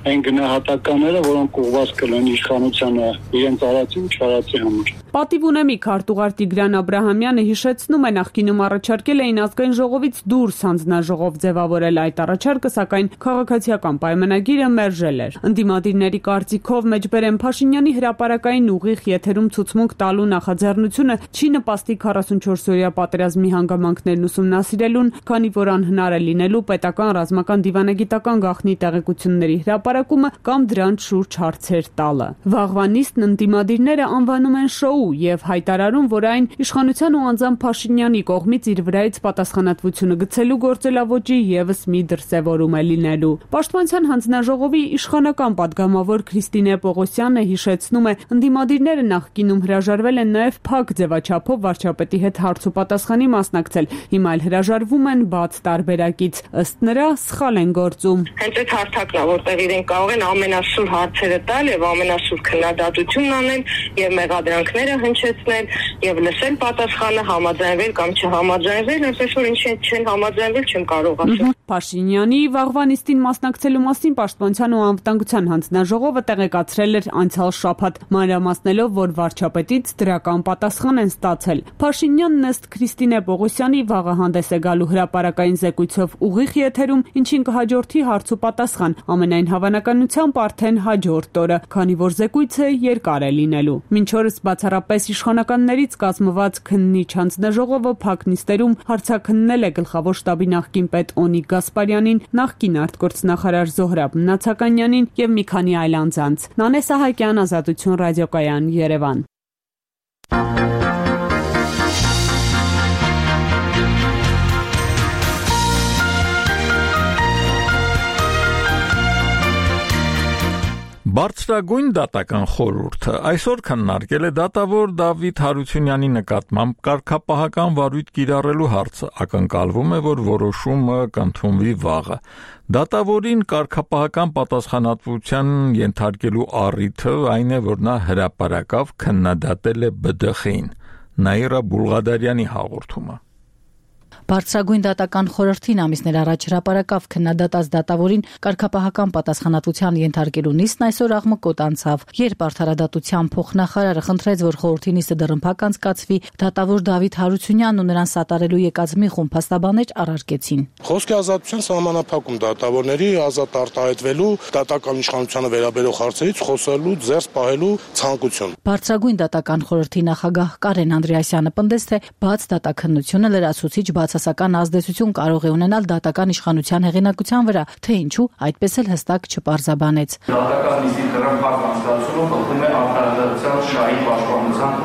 այն գնահատականները, որոնք ուղղված կլինեն իշխանությանը իրենց արածի ու չարածի համար։ Պատիվ ունեմի քարտուղար Տիգրան Աբրահամյանը հիշեցնում է, նախկինում առաջարկել էին ազգային ժողովից դուրս հանձնաժողով ձևավորել այդ առաջարկը, սակայն քաղաքացիական պայմանագիրը մերժել էր։ Ընդդիմադիրների կարծիքով մեջբերեն Փաշինյանի հրապարակային ուղիղ եթերում ցուցմունք տալու նախաձեռնությունը չի նպաստի 44-օրյա պատերազմի հանգամանքներն ուսումնասիրելուն, քանի որ անհնար է լինելու պետական ռազմական դիվանագիտական գաղտնի տեղեկությունների հրապարակումը կամ դրանց շուրջ հարցեր տալը։ Վաղվա նիստն ընդդիմադիրները անվանում են շոու եւ հայտարարում, որ այն իշխանության ու անձամբ Փաշինյանի կողմից իր վրայից պատասխանատվությունը գցելու գործելավոճի եւս մի դրսեւորում է լինելու։ Պաշտպանության հանձնաժողովի իշխանական падգամավոր Քրիստինե Պողոսյանը հիշեցնում է, ընդդիմադիրները նախկինում հրաժարվել են նաեւ փակ ձևաչափով վարչապետի հետ հարց ու պատասխանի մասնակցել, հիմա էլ հրաժարվում են բաց տարբերակից, ըստ նրա սխալ են գործում։ Հենց այդ հարթակն է, որտեղ իրենք կարող են ամենասուր հարցերը տալ եւ ամենասուր քննադատություն անել եւ մեղադրանքները հնչեցնել եւ լսել պատասխանը, համաձայնվել կամ չհամաձայնվել, այսպես որ ինչ չեն համաձայնվել, չեմ կարող ասել։ Փաշինյանի վաղվա նիստին մասնակցելու մասին Պաշտպանության ու անվտանգության հանձնաժողովը տեղեկացրել էր անցյալ շաբաթ, մանրամասնելով, որ վարչապետից դրական պատասխան են ստացել։ Փաշինյանն ըստ Քրիստինե Պողոսյանի վաղը հանդես է գալու հրապարակային զեկույցով ուղիղ եթերում, ինչին կհաջորդի հարց ու պատասխան, ամենայն հավանականությամբ արդեն հաջորդ օրը, քանի որ զեկույցը երկար է լինելու։ Մինչ օրս բացառապես իշխանականներից կազմված քննիչ հանձնաժողովը փակ նիստերում հարցաքննել է գլխավոր շտաբի նախկին պետ Օնիկ Գասպարյանին, նախկին արտգործնախարար Զոհրաբ Մնացականյանին եւ մի քանի այլ անձանց։ Նանե Սահակյան, Ազատություն ռադիոկայան, Երևան։ Բարձրագույն դատական խորհուրդը այսօր քննարկել է դատավոր Դավիթ Հարությունյանի նկատմամբ կարգապահական վարույթ կիրառելու հարցը, ակնկալվում է, որ որոշումը կընդունվի վաղը։ Դատավորին կարգապահական պատասխանատվության ենթարկելու առիթը այն է, որ նա հրապարակավ քննադատել է ԲԴԽ-ին։ Նաիրա Բուլղադարյանի հաղորդումը։ Բարձրագույն դատական խորհրդին ամիսներ առաջ հրապարակավ քննադատած դատավորին կարգապահական պատասխանատվության ենթարկելու նիստն այսօր աղմկոտ անցավ, երբ արդարադատության փոխնախարարը խնդրեց, որ խորհրդի նիստը դռնփակ անցկացվի, դատավոր Դավիթ Հարությունյանն ու նրան սատարելու եկած մի խումբ փաստաբաններ առարկեցին։ Խոսքի ազատության սահմանափակում դատավորների ազատ արտահայտվելու, դատական իշխանությանը վերաբերող հարցերից խոսելու, զերծ պահելու ցանկություն։ Բարձրագույն դատական խորհրդի նախագահ Կարեն Անդրեասյանը պնդեց, թե բաց դատաքննությունը լրացուցիչ բացասական ազդեցություն կարող է ունենալ դատական իշխանության հեղինակության վրա, թե ինչու այդպես էլ հստակ չպարզաբանեց։ Դատական նիստի դռնփակ անցկացումը խախտում է արդարադատության շահի պաշտպանության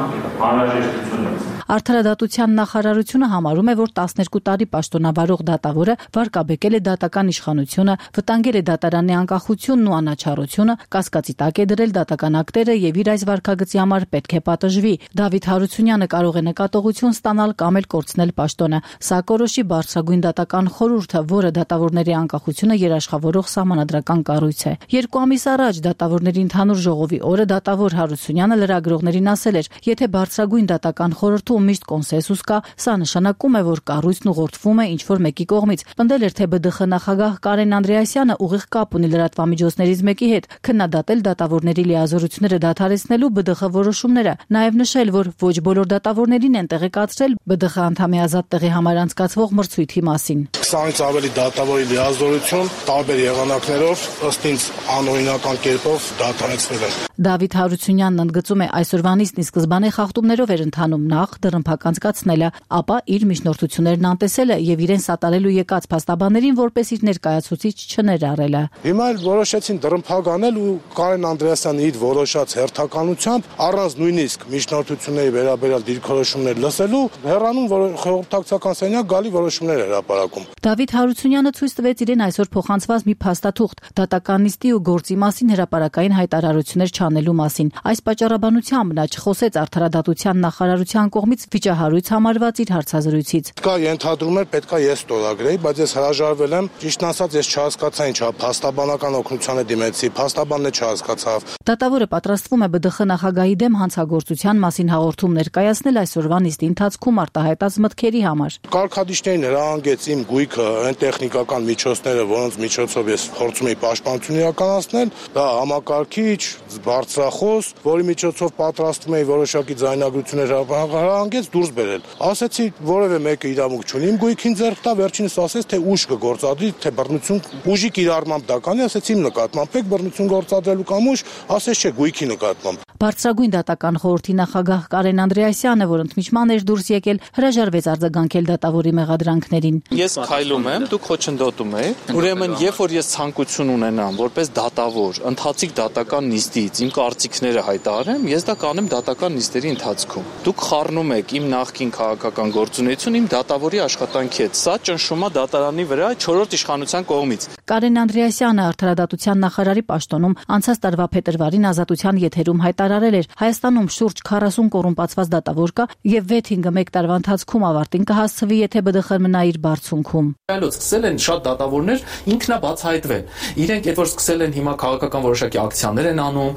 անհրաժեշտությունը։ Արդարադատության նախարարությունը համարում է, որ 12 տարի պաշտոնավարող դատավորը վարկաբեկել է դատական իշխանությունը, վտանգել է դատարանի անկախությունն ու անաչառությունը, կասկածի տակ է դրել դատական ակտերը եւ իր այս վարկագծի համար պետք է պատժվի։ Դավիթ Հարությունյանը կարող է նկատողություն ստանալ կամ էլ կորցնել պաշտոնը։ Սա կորոշի բարձրագույն դատական խորհուրդը, որը դատավորների անկախությունը երաշխավորող սահմանադրական կառույց է։ 2 ամիս առաջ դատավորների ընդհանուր ժողովի օրը դատավոր Հարությունյանը լրագրողներին ասել էր, եթե բարձրագույն դատական խորհրդում հարցում միշտ կոնսենսուս կա, սա նշանակում է, որ կառույցն ուղղորդվում է ինչ-որ մեկի կողմից։ Պնդել էր, թե ԲԴԽ նախագահ Կարեն Անդրեասյանը ուղիղ կապ ունի լրատվամիջոցներից մեկի հետ, քննադատել դատավորների լիազորությունները դադարեցնելու ԲԴԽ որոշումները, նաև նշել, որ ոչ բոլոր դատավորներին են տեղեկացրել ԲԴԽ անդամի ազատ տեղի համար անցկացվող մրցույթի մասին։ 20-ից ավելի դատավորի լիազորություն տարբեր եղանակներով ըստ ինձ անօրինական կերպով դադարեցվել են։ Դավիթ Հարությունյանն ընդգծում է, այսօրվանից ի սկզբանե խախտումներով էր ընթանում, նախ դռնփակ անցկացնելը, ապա իր միջնորդություններն անտեսելը եւ իրեն սատարելու եկած փաստաբաններին որպես իր ներկայացուցիչ չներառելը։ Հիմա էլ որոշեցին դռնփակ անել ու Կարեն Անդրեասյանը իր որոշած հերթականությամբ առանց նույնիսկ միջնորդությունների վերաբերյալ դիրքորոշումներ լսելու հեռանում խորհրդակցական սենյակ գալի որոշումներ հրապարակում։ Դավիթ Հարությունյանը ցույց տվեց իրեն այսօր փոխանցված մի փաստաթուղթ դատականիստի ու գործի մասին հրապարակային հայտարարություններ չանելու մասին։ Այս պատճառաբանությամբ նա չխոսեց արդարադատության նախարարության կողմից վիճահարույց համարված իր հարցազրույցից։ Կա ենթադրում էր պետքա ես ստորագրեի, բայց ես հրաժարվել եմ։ Ճիշտն ասած ես չհասկացա ինչա փաստաբանական օգնությանը դիմեցի, փաստաբանն չհասկացավ։ Դատավորը պատրաստվում է ԲԴԽ նախագահի դեմ հանցագործության մասին հաղորդում ներկայացնել այսօրվա նիստի ընթացքում արտահայտած մտքերի համար։ Կարգադիշտերին հրահանգեց իմ գույքը, այն տեխնիկական միջոցները, որոնց միջոցով ես փորձում եի պաշտպանություն իրականացնել, դա համակարգիչ, բարձրախոս, որի միջոցով պատրաստում էի որոշակի ձայնագրություններ հրահանգեց դուրս բերել։ Ասեցի, որևէ մեկը իրավունք չունի իմ գույքին ձեռք տա, վերջինս ասեց, թե ուժ կգործադրի, թե բռնություն, ուժի կիրառմամբ դա կանի, ասեցի իմ նկատմամբ եք բռնություն գործադրելու կամ ուժ, ասեց չէ, գույքի նկատմամբ։ Բարձրագույն դատական խորհրդի նախագահ Կարեն Անդրեասյանը, որ ընդմիջման էր դուրս եկել, հրաժարվեց արձագանքել դատավորի մեղադրանքներին։ Ես քայլում եմ, դուք խոչընդոտում եք։ Ուրեմն, երբ որ ես ցանկություն ունենամ, որպես դատավոր, ընթացիկ դատական նիստից իմ կարծիքները հայտարարեմ, ես դա կանեմ դատական նիստերի ընթացքում։ Դուք խառնում եք իմ նախկին քաղաքական գործունեությունը իմ դատավորի աշխատանքի հետ։ Սա ճնշում է դատարանի վրա 4-րդ իշխանության կողմից։ Կարեն Անդրեասյանը արդարադատության նախարարի պաշտոնում անցած տարվա փետրվարին Ազատության եթերում հայտարարել էր, Հայաստանում շուրջ 40 կոռումպացված դատավոր կա եւ 6-ը 1 տարվա ընթացքում ավարտին կհասցվի, եթե ԲԴԽ-ն մնա իր բարձունքում։ Այլոց սկսել են շատ դատավորներ ինքնաբացահայտվել։ Իրենք այդ որ սկսել են հիմա քաղաքական որոշակի ակցիաներ են անում,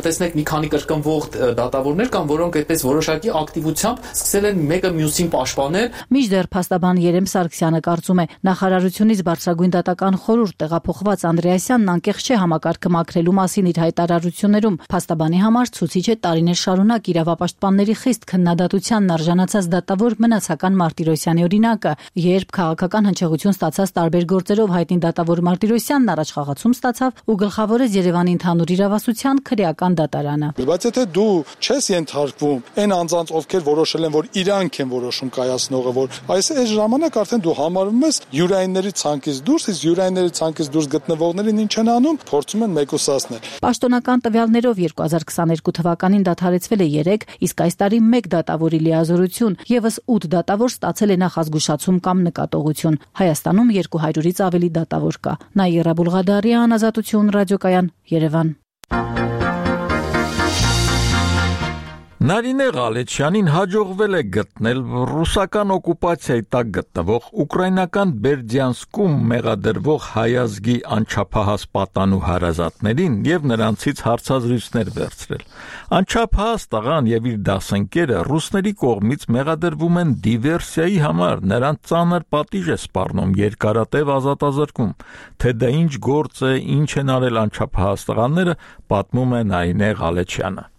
կտեսնեք մի քանի կրկնվող դատավորներ կան, որոնք այդպես որոշակի ակտիվությամբ սկսել են մեկը մյուսին պաշտպանել։ Մինչդեռ փաստաբան Երեմ Սարգսյանը կարծում է, նախարարությունից բարձրագույն դատական խորհուրդ տեղափոխված Անդրեասյանն անկեղծ չէ համակարգը մաքրելու մասին իր հայտարարություններում։ Փաստաբանի համար ցուցիչ է տարիներ շարունակ իրավապաշտպանների խիստ քննադատությանն արժանացած դատավոր Մնացական Մարտիրոսյանի օրինակը, երբ քաղաքական հնչեղություն ստացած տարբեր գործերով հայտնի դատավոր Մարտիրոսյանն առաջխաղացում ստացավ ու գլխավորեց Երևանի ընդհանուր իրավասության քրեական դատարանը։ Բայց եթե դու չես ենթարկվում այն անձանց, ովքեր որոշել են, որ իրանք են որոշում կայացնողը, որ այս ժամանակ արդեն դու համարվում ես յուրայինների ցանկից դուրս, իսկ յուրայինների ցանկից դուրս գտնվողներին ինչ են անում, փորձում են մեկուսացնել։ Պաշտոնական տվյալներով 2022 թվականին դադարեցվել է 3, իսկ այս տարի 1 դատավորի լիազորություն, եւս 8 դատավոր ստացել է նախազգուշացում կամ նկատողություն։ Հայաստանում 200-ից ավելի դատավոր կա։ Նաիրա Բուլղադարյան, Ազատություն, ռադիոկայան, Երևան։ Նարինե Ղալեչյանին հաջողվել է գտնել ռուսական օկուպացիայի տակ գտնվող ուկրաինական Բերդյանսկում մեղադրվող հայազգի անչափահաս պատանու հարազատներին եւ նրանցից հարցազրույցներ վերցրել։ Անչափահաս տղան եւ իր դասընկերը ռուսների կողմից մեղադրվում են դիվերսիայի համար, նրանց ծանր պատիժ է սպառնում երկարատև ազատազրկում։ Թե դա ինչ գործ է, ինչ են արել անչափահաս տղաները, պատմում է Նարինե Ղալեչյանը։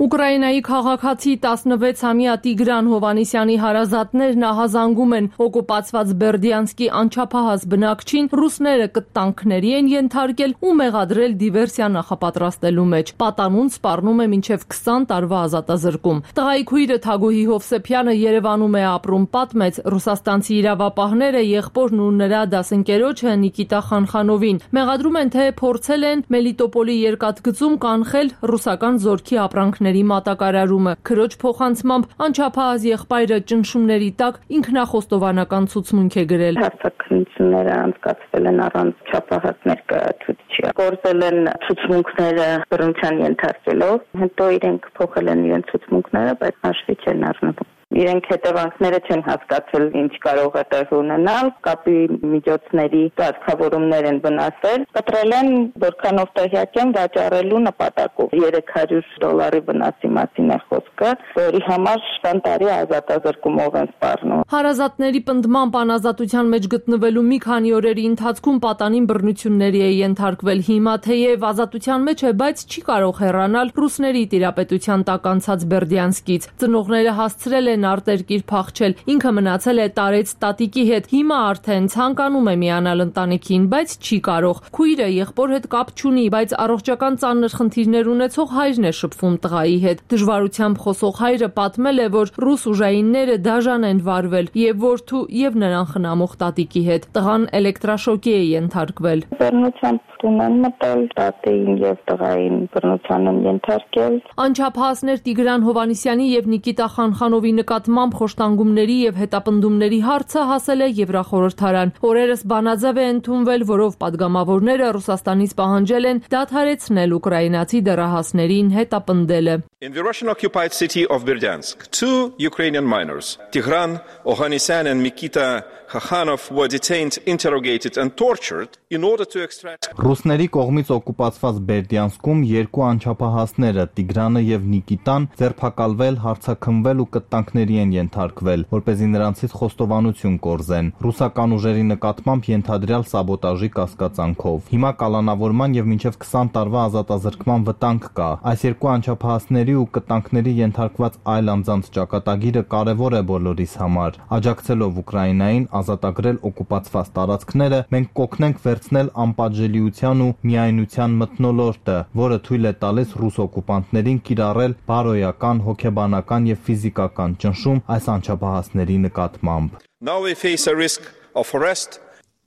Ուկրաինայի քաղաքացի 16-ամյա Տիգրան Հովանիսյանի հարազատներն ահազանգում են օկուպացված Բերդյանսկի անչափահաս բնակչին ռուսները կտանքների են ենթարկել ու մեղադրել դիվերսիա նախապատրաստելու մեջ։ Պատանուն սպառնում է մինչև 20 տարվա ազատազրկում։ Տղայի քույրը Թագուհի Հովսեփյանը Երևանում է ապրում, պատմեց ռուսաստանցի իրավապահները եղբորն ու նրա դասընկերոջը Նիկիտա Խանխանովին։ Մեղադրում են, թե փորձել են Մելիտոպոլի երկաթգծում կանխել ռուսական զորքի ապրանքների մատակարարումը։ Քրոջ փոխանցմամբ անչափահաս եղբայրը ճնշումների տակ ինքնախոստովանական ցուցմունք է գրել։ Հաստատությունները անցկացվել են առանց չափահաս ներկայացուցիչի։ Գործել են ցուցմունքները բռնության ենթարկելով, հետո իրենք փոխել են իրենց ցուցմունքները, բայց հաշվի չեն առնվում։ իրենք հետևանքները չեն հասկացել, ինչ կարող է տեղ ունենալ, կապի միջոցների կարգավորումներ են վնասել, կտրել են, որքանով տեղյակ եմ, վաճառելու նպատակով $300 վնասի մասին է խոսքը, որի համար տարի ազատազրկումով են սպառնում։ Հարազատների պնդմամբ անազատության մեջ գտնվելու մի քանի օրերի ընթացքում պատանին բռնությունների է ենթարկվել։ Հիմա թեև ազատության մեջ է, բայց չի կարող հեռանալ ռուսների տիրապետության տակ անցած Բերդյանսկից։ Ծնողները հասցրել են արտերկիր փախչել, ինքը մնացել է տարեց տատիկի հետ։ Հիմա արդեն ցանկանում է միանալ ընտանիքին, բայց չի կարող։ Քույրը եղբոր հետ կապ չունի, բայց առողջական ծանր խնդիրներ ունեցող հայրն է շփվում տղայի հետ։ Դժվարությամբ խոսող հայրը պատմել է, որ ռուս ուժայինները դաժան են վարվել եւ որդու եւ նրան խնամող տատիկի հետ։ Տղան էլեկտրաշոկի է ենթարկվել։ Բռնությամբ տունեն մտել, տատին եւ տղային բռնության են ենթարկել։ Անչափահասներ Տիգրան Հովանիսյանի եւ Նիկիտա Խանխանովի նկատմամբ խոշտանգումների եւ հետապնդումների հարցը հասել է Եվրախորհրդարան։ Օրերս բանաձև է ընդունվել, որով падգամավորները Ռուսաստանից պահանջել են դադարեցնել ուկրաինացի դեռահասներին հետապնդելը։ In the Russian-occupied city of Berdyansk, two Ukrainian minors, Tigran Ohannisyan and Mikita Khakhanov, were detained, interrogated and tortured in order to extract. Ռուսների կողմից օկուպացված Բերդյանսկում երկու անչափահասները Տիգրանը եւ Նիկիտան ձերբակալվել, հարցաքննվել ու կտանքների են ենթարկվել, որպեսզի նրանցից խոստովանություն կորզեն։ Ռուսական ուժերի նկատմամբ ենթադրյալ սաբոտաժի կասկածանքով։ Հիմա կալանավորման եւ մինչեւ 20 տարվա ազատազրկման վտանգ կա։ Այս երկու անչափահասների ու կտանքների ենթարկված այլ անձանց ճակատագիրը կարևոր է բոլորիս համար։ Աջակցելով Ուկրաինային ազատագրել օկուպացված տարածքները, մենք կօգնենք վերցնել անպատժելիության ու միայնության մթնոլորտը, որը թույլ է տալիս ռուս օկուպանտներին կիրառել բարոյական, հոգեբանական եւ ֆիզիկական ճնշում այս անչափահասների նկատմամբ։ Now we face a risk of arrest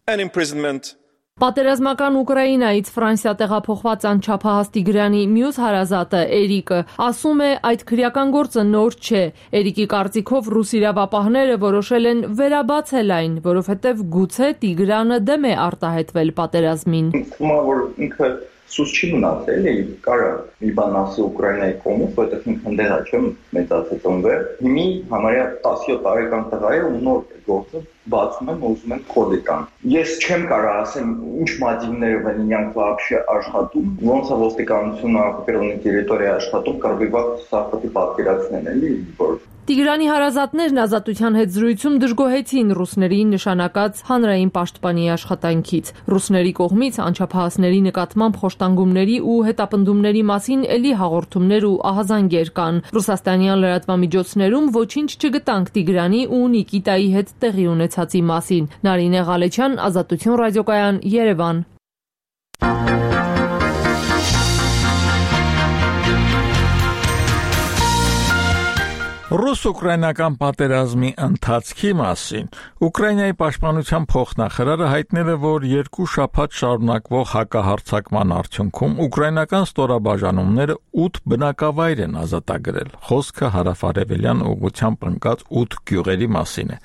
and imprisonment. Պատերազմական Ուկրաինայից Ֆրանսիա տեղափոխված անչափահաս Տիգրանի մյուս հարազատը Էրիկը ասում է, այդ քրեական գործը նոր չէ։ Էրիկի կարծիքով ռուս իրավապահները որոշել են վերաբացել այն, որովհետև գուցե Տիգրանը դեմ է արտահայտվել պատերազմին։ Ինքը սուս չի մնացել, կարա մի բան ասի Ուկրաինայի կողմից, որտեղ ինքն ընդդեմ չեմ մեծացել ծնվել։ Հիմի համարյա 17 տարեկան տղա է ու նոր գործը բացում են, ուզում են կոդի տան։ Ես չեմ կարող ասեմ ինչ մատիվներով են իրանք вообще աշխատում, ոնց է ոստիկանությունը օկուպირованной տերիտորիայի աշխատում, կարող է սա պետք է պատկերացնել, էլի, որ Տիգրանի հարազատներն ազատության հետ զրույցում դժգոհեցին ռուսների նշանակած հանրային պաշտպանի աշխատանքից։ Ռուսների կողմից անչափահասների նկատմամբ խոշտանգումների ու հետապնդումների մասին էլի հաղորդումներ ու ահազանգեր կան։ Ռուսաստանյան լրատվամիջոցներում ոչինչ չգտանք Տիգրանի ու Նիկիտայի հետ տեղի ունեցածի մասին։ Նարինե Ղալեչյան, Ազատություն ռադիոկայան, Երևան։ Ռուս-ուկրաինական պատերազմի ընթացքի մասին Ուկրաինայի պաշտպանության փոխնախարարը հայտնել է, որ 2 շաբաթ շարունակվող հակահարձակման արդյունքում ուկրաինական ստորաբաժանումները 8 բնակավայր են ազատագրել։ Խոսքը հարավարևելյան ուղղությամբ ընկած 8 գյուղերի մասին է։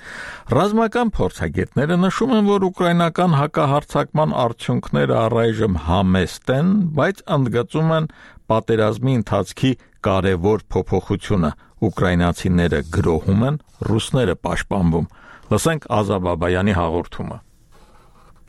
Ռազմական փորձագետները նշում են, որ ուկրաինական հակահարձակման արդյունքները առայժմ համեստ են, բայց ընդգծում են պատերազմի ընթացքի կարևոր փոփոխությունը։ Ուկրաինացիները գրոհում են, ռուսները պաշտպանվում։ Լսենք Ազա Բաբայանի հաղորդումը։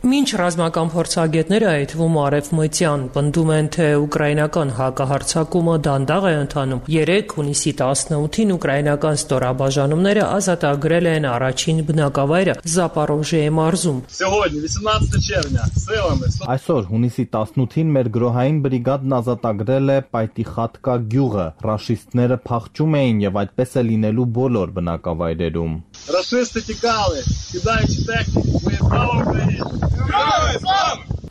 Մինչ ռազմական փորձագետները այդ թվում արևմտյան պնդում են, թե ուկրաինական հակահարձակումը դանդաղ է ընթանում, 3 հունիսի 18-ին ուկրաինական ստորաբաժանումները ազատագրել են առաջին բնակավայրը Զապորոժիեի մարզում։ Այսօր հունիսի 18-ին մեր գրոհային բրիգադն ազատագրել է Պայտիխատկա գյուղը։ Ռաշիստները փախչում էին եւ այդպես է լինելու բոլոր բնակավայրերում։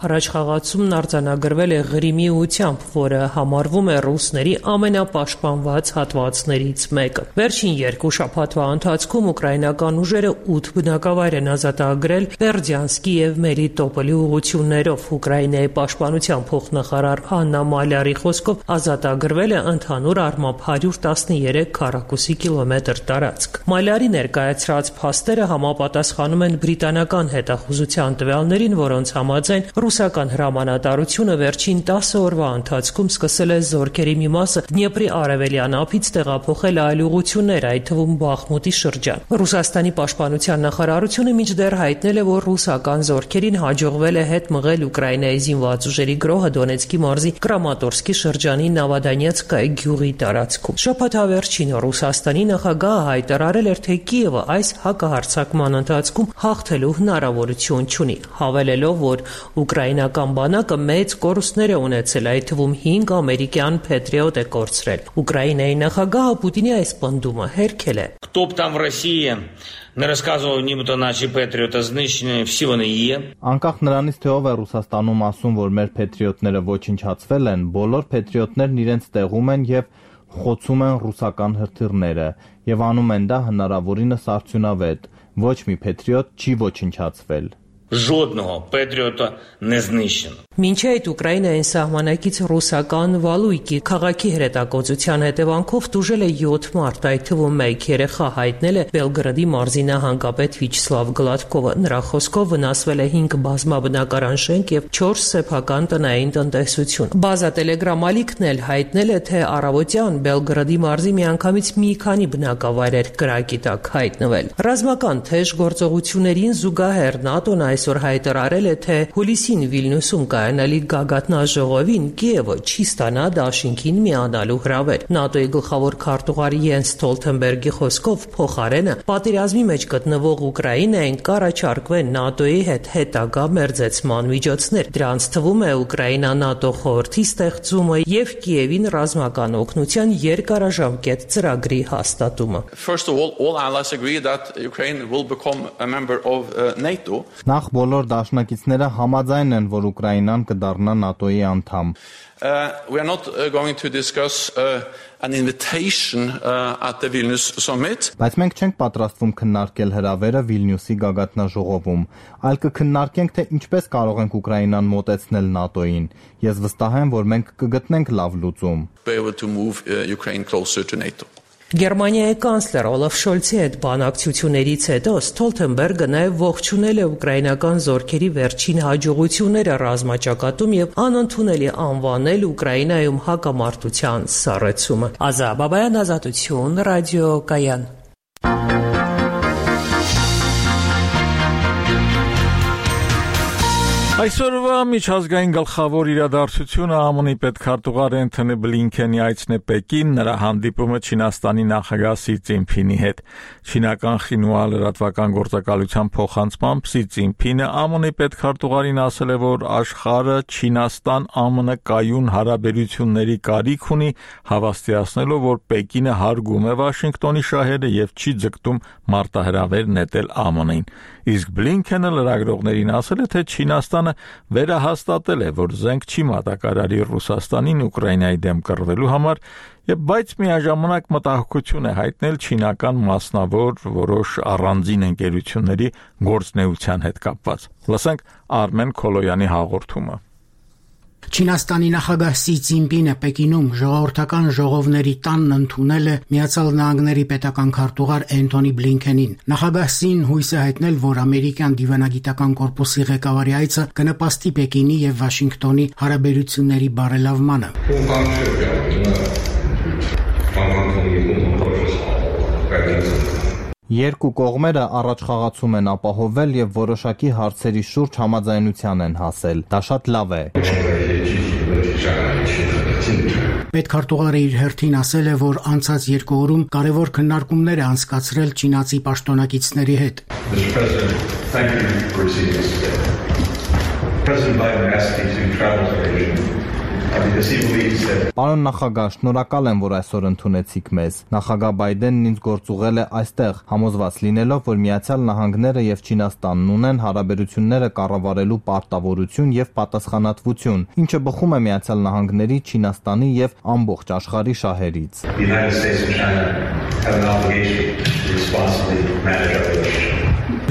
Առաջխաղացումն արձանագրվել է Ղրիմի ուղությամբ, որը համարվում է ռուսների ամենապաշտպանված հատվածներից մեկը։ Վերջին 2 շաբաթվա ընթացքում ուկրաինական ուժերը 8 բնակավայր են ազատագրել Բերդյանսկի եւ Մելիտոպոլի ուղություններով։ Ուկրաինայի պաշտպանության փոխնախարար Աննա Մալյարի խոսքով ազատագրվել է ընդհանուր առմամբ 113 քառակուսի կիլոմետր տարածք։ Մալյարի ներկայացրած փաստերը համապատասխանում են բրիտանական հետախուզության տվյալներին, որոնց համաձայն Ռուսական հրամանատարությունը վերջին 10 օրվա ընթացքում սկսել է զորքերի մի մասը Դնեպրի արևելյան ափից տեղափոխել այլ ուղղություններ, այդ թվում Բախմուտի շրջան։ Ռուսաստանի պաշտպանության նախարարությունը մինչդեռ հայտնել է, որ ռուսական զորքերին հաջողվել է հետ մղել Ուկրաինայի զինված ուժերի գրոհը Դոնեցկի մարզի Կրամատորսկի շրջանի Նավադանյեցկայ գյուղի տարածքում։ Շաբաթավերջին Ռուսաստանի նախագահը հայտարարել էր, թե Կիևը այս հակահարձակման ընթացքում հաղթելու հնարավորություն չունի, հավելելով, որ ուկրաինական բանակը մեծ կորուստներ է ունեցել, այդ թվում 5 ամերիկյան Patriot է կորցրել։ Ուկրաինայի նախագահը Պուտինի այս պնդումը հերքել է։ Кто б там в России не рассказывал, нібито наші Петріоти знищені, всі вони є։ Անկախ նրանից, թե ով է Ռուսաստանում ասում, որ մեր Patriot-ները ոչնչացվել են, բոլոր Patriot-ներն իրենց տեղում են եւ խոցում են ռուսական հրթիռները եւ անում են դա հնարավորինս արդյունավետ։ Ոչ մի Patriot չի ոչնչացվել։ Жодного Петріота не знищено։ Մինչ այդ Ուկրաինային սահմանակից ռուսական Վալույկի քաղաքի հրետակոծության հետևանքով տուժել է 7 մարդ, այդ թվում 1 երեխա, հայտնել է Բելգրադի մարզի նահանգապետ Վիչսլավ Գլադկովը։ Նրա խոսքով վնասվել է 5 բազմաբնակարան շենք եւ 4 սեփական տնային տնտեսություն։ Բազա Տելեգրամ ալիքն էլ հայտնել է, թե առավոտյան Բելգրադի մարզի միանգամից մի քանի բնակավայրեր կրակի տակ հայտնվել։ Ռազմական թեժ գործողություններին զուգահեռ ՆԱՏՕ-ն այսօր հայտարարել է, թե հուլիսին Վիլնյուսում կայանալիք գագաթնաժողովին Կիևը չի ստանա դաշինքին միանալու հրավեր։ ՆԱՏՕ-ի գլխավոր քարտուղար Յենս Ստոլթենբերգի խոսքով փոխարենը պատերազմի մեջ գտնվող Ուկրաինային կառաջարկվեն ՆԱՏՕ-ի հետ հետագա մերձեցման միջոցներ։ Դրանց թվում է Ուկրաինա-ՆԱՏՕ խորհրդի ստեղծումը եւ Կիևին ռազմական օգնության երկարաժամկետ ծրագրի հաստատումը։ First of all allies agree that Ukraine will become a member of NATO. Նախ բոլոր դաշնակիցները համաձայն են, որ Ուկրաինան կդառնա ՆԱՏՕ-ի անդամ։ We are not going to discuss an invitation at the Vilnius summit. Բայց մենք չենք պատրաստվում քննարկել հրավերը Վիլնյուսի գագաթնաժողովում, այլ կքննարկենք, թե ինչպես կարող ենք Ուկրաինան մոտեցնել ՆԱՏՕ-ին։ Ես վստահ եմ, որ մենք կգտնենք լավ լուծում։ Be able to move Ukraine closer to NATO. Գերմանիայի կանցլեր Օլաֆ Շոլցի հետ բանակցություններից հետո Ստոլթենբերգը նաև ողջունել է ուկրաինական զորքերի վերջին հաջողությունները ռազմաճակատում եւ անընդունելի անվանել Ուկրաինայում հակամարտության սառեցումը։ Ազա Բաբայան, Ազատություն, Ռադիո Կայան։ Այսօրվա միջազգային գլխավոր իրադարձությունը ԱՄՆ-ի պետքարտուղար Էնթոնի Բլինքենի այցն է Պեկին, նրա հանդիպումը Չինաստանի նախագահ Սի Ցզինփինի հետ։ Չինական Խինհուա լրատվական գործակալության փոխանցմամբ Սի Ցզինփինը ԱՄՆ-ի պետքարտուղարին ասել է, որ աշխարհը Չինաստան-ԱՄՆ կայուն հարաբերությունների կարիք ունի, հավաստիացնելով, որ Պեկինը հարգում է Վաշինգտոնի շահերը եւ չի ձգտում մարտահրավեր նետել ԱՄՆ-ին։ Իսկ Բլինքենը լրագրողներին ասել է, թե Չինաստանը վերահաստատել է, որ զենք չի մատակարարի Ռուսաստանին Ուկրաինայի դեմ կռվելու համար, բայց միաժամանակ մտահոգություն է հայտնել չինական մասնավոր որոշ առանձին ընկերությունների գործունեության հետ կապված։ Լսենք Արմեն Քոլոյանի հաղորդումը։ Չինաստանի նախագահ Սի Ցզինպինը Պեկինում ժողովրդական ժողովների տանն ընդունել է Միացյալ Նահանգների պետական քարտուղար Էնթոնի Բլինքենին։ Նախագահ Սին հույս է հայտնել, որ ամերիկյան դիվանագիտական կորպուսի ղեկավարի այցը կնպաստի Պեկինի եւ Վաշինգտոնի հարաբերությունների բարելավմանը։ Երկու կողմերը առաջխաղացում են ապահովել եւ որոշակի հարցերի շուրջ համաձայնության են հասել։ Դա շատ լավ է։ Պետքարտուղարը իր հերթին ասել է, որ անցած 2 օրում կարևոր քննարկումներ է անցկացրել չինացի պաշտոնակիցների հետ։ Պարոն նախագահ, շնորհակալ եմ, որ այսօր ընդունեցիք մեզ։ Նախագահ Բայդենն ինձ գործուղել է այստեղ, համոզված լինելով, որ Միացյալ Նահանգները եւ Չինաստանն ունեն հարաբերությունները կառավարելու պարտավորություն եւ պատասխանատվություն, ինչը բխում է Միացյալ Նահանգների, Չինաստանի եւ ամբողջ աշխարհի շահերից։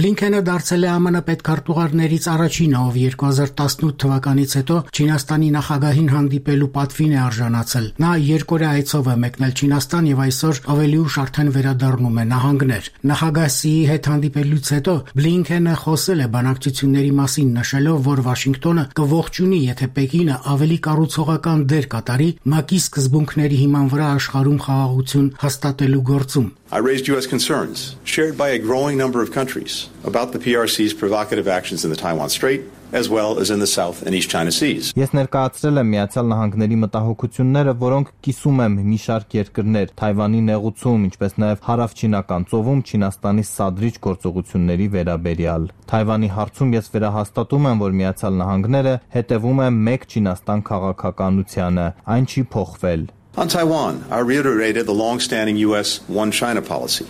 Բլինքենը դարձել է ԱՄՆ պետքարտուղարներից առաջինը, ով 2018 թվականից հետո Չինաստանի նախագահին հանդիպելու պատվին է արժանացել։ Նա երկօրյա այցով է մեկնել Չինաստան եւ այսօր ավելի ուշ արդեն վերադառնում է նահանգներ։ Նախագահ Սիի հետ հանդիպելուց հետո Բլինքենը խոսել է բանակցությունների մասին, նշելով, որ Վաշինգտոնը կողջունի, եթե Պեկինը ավելի կառուցողական դեր կատարի ՄԱԿ-ի սկզբունքների հիման վրա աշխարհում խաղաղություն հաստատելու գործում։ I raised U.S. concerns shared by a growing number of countries about the PRC's provocative actions in the Taiwan Strait, as well as in the South and East China Seas. Ես ներկայացրել եմ Միացյալ Նահանգների մտահոգությունները, որոնք կիսում եմ մի շարք երկրներ, Թայվանի նեղուցում, ինչպես նաև Հարավչինական ծովում Չինաստանի սադրիչ գործողությունների վերաբերյալ։ Թայվանի հարցում ես վերահաստատում եմ, որ Միացյալ Նահանգները հետևում է մեկ Չինաստան քաղաքականությանը, այն չի փոխվել։ On Taiwan, I reiterated the long-standing U.S. One China policy.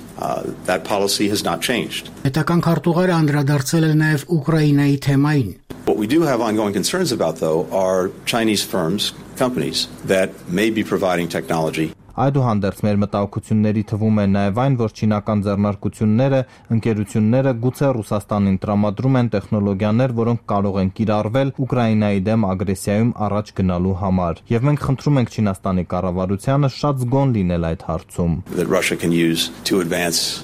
That policy has not changed. Պետական քարտուղարը անդրադարձել է նաև Ուկրաինայի թեմային։ What we do have ongoing concerns about, though, are Chinese firms, companies that may be providing technology. Այդուհանդերձ մեր մտահոգությունների թվում է նաև այն, որ չինական ձեռնարկությունները, ընկերությունները գուցե Ռուսաստանին տրամադրում են տեխնոլոգիաներ, որոնք կարող են կիրառվել Ուկրաինայի դեմ ագրեսիայում առաջ գնալու համար։ Եվ մենք խնդրում ենք Չինաստանի կառավարությանը շատ զգոն լինել այդ հարցում։ That Russia can use to advance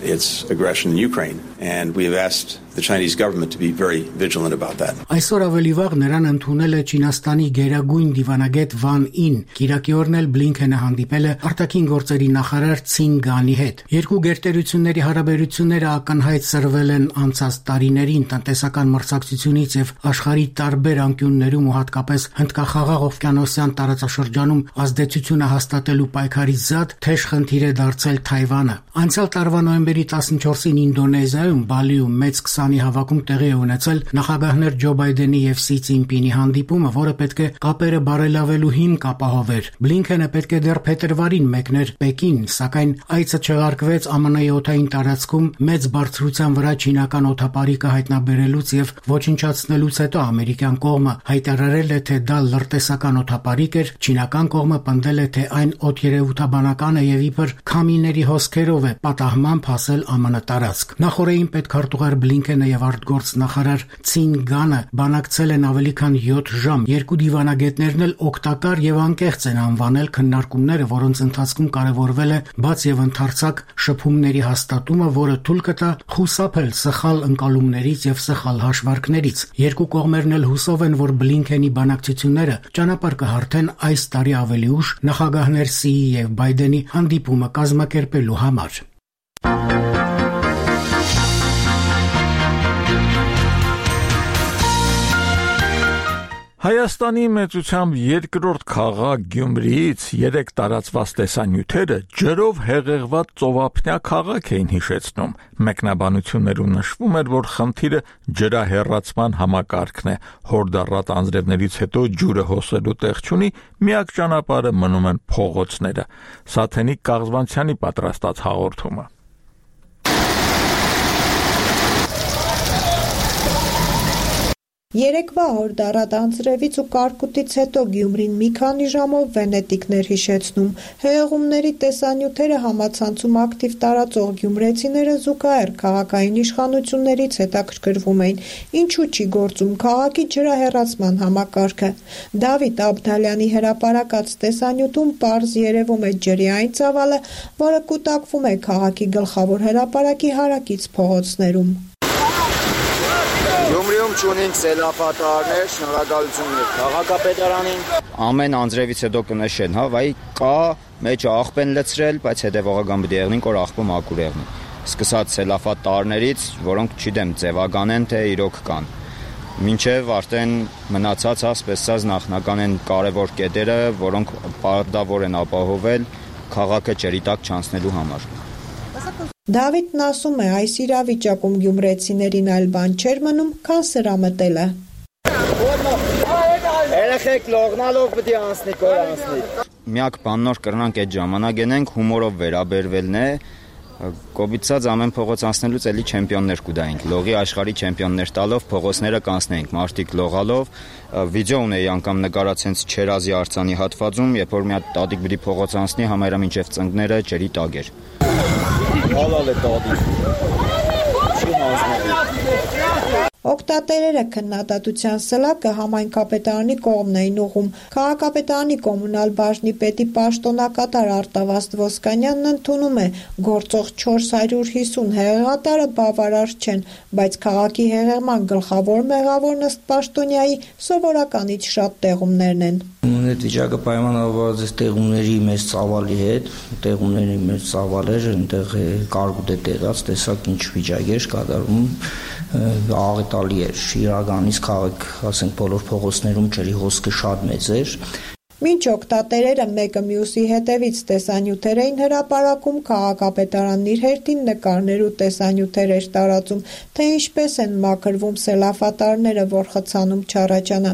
its aggression in Ukraine, and we have asked the Chinese government to be very vigilant about that. Այսօր ավելի վաղ նրան ընդունել է Չինաստանի գերագույն դիվանագետ Վան Ին։ Կիրակի օրն էլ Բլինքենը հանդիպել է արտաքին գործերի նախարար Ցին Գանի հետ։ Երկու գերտերությունների հարաբերությունները ակնհայտ սրվել են անցած տարիներին տնտեսական մրցակցությունից եւ աշխարհի տարբեր անկյուններում ու հատկապես Հնդկախաղաղ օվկիանոսյան տարածաշրջանում ազդեցությունը հաստատելու պայքարի զատ թեժ խնդիր է դարձել Թայվանը։ Անցյալ տարվա նոյեմբերի 14-ին Ինդոնեզիայում Բալիում մեծ 20-ի հավաքում տեղի է ունեցել նախագահներ Ջո Բայդենի եւ Սի Ցինպինի հանդիպումը, որը պետք է կապերը բարելավելու հիմք ապահովեր։ Բլինքենը պետք է դեռ փետրվարին մեկներ Պեկին, սակայն այցը չեղարկվեց ԱՄՆ-ի օդային տարածքում մեծ բարձրության վրա չինական օդապարիկը հայտնաբերելուց եւ ոչնչացնելուց հետո ամերիկյան կողմը հայտարարել է, թե դա լրտեսական օդապարիկ էր, չինական կողմը պնդել է, թե այն օդերևութաբանական է եւ իբր քամիների հոսքերով է պատահմամբ հասել ԱՄՆ տարածք։ Նախորդին պետքարտուղար Բլինքենը եւ արտգործնախարար Ցին Գանը բանակցել են ավելի քան 7 ժամ։ Երկու դիվանագետներն էլ օգտակար եւ անկեղծ են անվանել քննարկումները, որոնց ընթացքում կարևորվել է բաց եւ ընդարձակ շփումների հաստատումը, որը թույլ կտա խուսափել սխալ ընկալումներից եւ սխալ հաշվարկներից։ Երկու կողմերն էլ հուսով են, որ Բլինքենի բանակցությունները ճանապարհ կհարթեն այս տարի ավելի ուշ նախագահներ Սիի եւ Բայդենի հանդիպումը կազմակերպելու համար։ Հայաստանի մեծությամբ երկրորդ քաղաք Գյումրիից 3 տարածված տեսանյութերը ջրով հեղեղված ծովափնյա քաղաք էին հիշեցնում։ Մեկնաբանություններում նշվում էր, որ խնդիրը ջրահեռացման համակարգն է։ Հորդառատ անձրևներից հետո ջուրը հոսելու տեղ չունի, միակ ճանապարհը մնում են փողոցները։ Սաթենիկ Կաղզվանցյանի պատրաստած հաղորդումը։ Երեկվա հորդառատ անձրևից ու կարկուտից հետո Գյումրին մի քանի ժամով վենետիկներ հիշեցնում։ Հեղեղումների տեսանյութերը համացանցում ակտիվ տարածող գյումրեցիները զուգահեռ քաղաքային իշխանություններից հետաքրքրվում էին, ինչու չի գործում քաղաքի ջրահեռացման համակարգը։ Դավիթ Աբդալյանի հրապարակած տեսանյութում պարզ երևում է ջրի այն ծավալը, որը կուտակվում է քաղաքի գլխավոր հրապարակի հարակից փողոցներում։ Գյումրիում չունենք սելավատարներ, շնորհակալություններ քաղաքապետարանին։ Ամեն անձրևից հետո կնշեն, վայ կա մեջը աղբ են լցրել, բայց հետևողական պիտի եղնին, որ աղբը մաքուր եղնի։ Սկսած սելավատարներից, որոնք չգիտեմ ձևական են, թե իրոք կան։ Մինչև արդեն մնացած ասպեսած նախնական են կարևոր կետերը, որոնք պարտավոր են ապահովել քաղաքը ջրի տակ չանցնելու համար։ Դավիթն ասում է, այս իրավիճակում գյումրեցիներին այլ բան չէր մնում, քան սրամտելը։ Երեխեք լողնալով պիտի անցնի, կոր անցնի։ Միակ բանն որ կրնանք այդ ժամանակ ենենք հումորով վերաբերվելն է, կոբիցած ամեն փողոց անցնելուց էլի չեմպիոններ կուտայինք, լողի աշխարհի չեմպիոններ տալով փողոցները կանցնեինք, մարդիկ լողալով, վիդեո ունեի անգամ նկարած հենց Չերազի արձանի հատվածում, երբ որ մի հատ տատիկ պիտի փողոց անցնի, համարյա մինչև ծնկները ջրի տակ էր։ Հալալ է տատիկ։ Չի հանձնի։ Օգտատերերը քննադատության սլակը համայնքապետարանի կողմն էին ուղղում։ Քաղաքապետարանի կոմունալ բաժնի պետի պաշտոնակատար Արտավազդ Ոսկանյանն ընդունում է, գործող 450 հեղեղատարը բավարար չեն, բայց քաղաքի հեղեղման գլխավոր մեղավոր ըստ պաշտոնյայի սովորականից շատ տեղումներն են։ Այդ վիճակը պայմանավորված է տեղումների մեծ ծավալի հետ, տեղումների մեծ ծավալը այնտեղ կարգուտ է տեղած, տեսակ ինչ վիճակ էր կատարում, աղետալի էր, իրականից քաղաք, ասենք բոլոր փողոցներում ջրի հոսքը շատ մեծ էր։ Մինչ օգտատերերը մեկը մյուսի հետևից տեսանյութեր էին հրապարակում, քաղաքապետարանն իր հերթին նկարներ ու տեսանյութեր էր տարածում, թե ինչպես են մաքրվում սելավատարները, որ խցանում չառաջանա։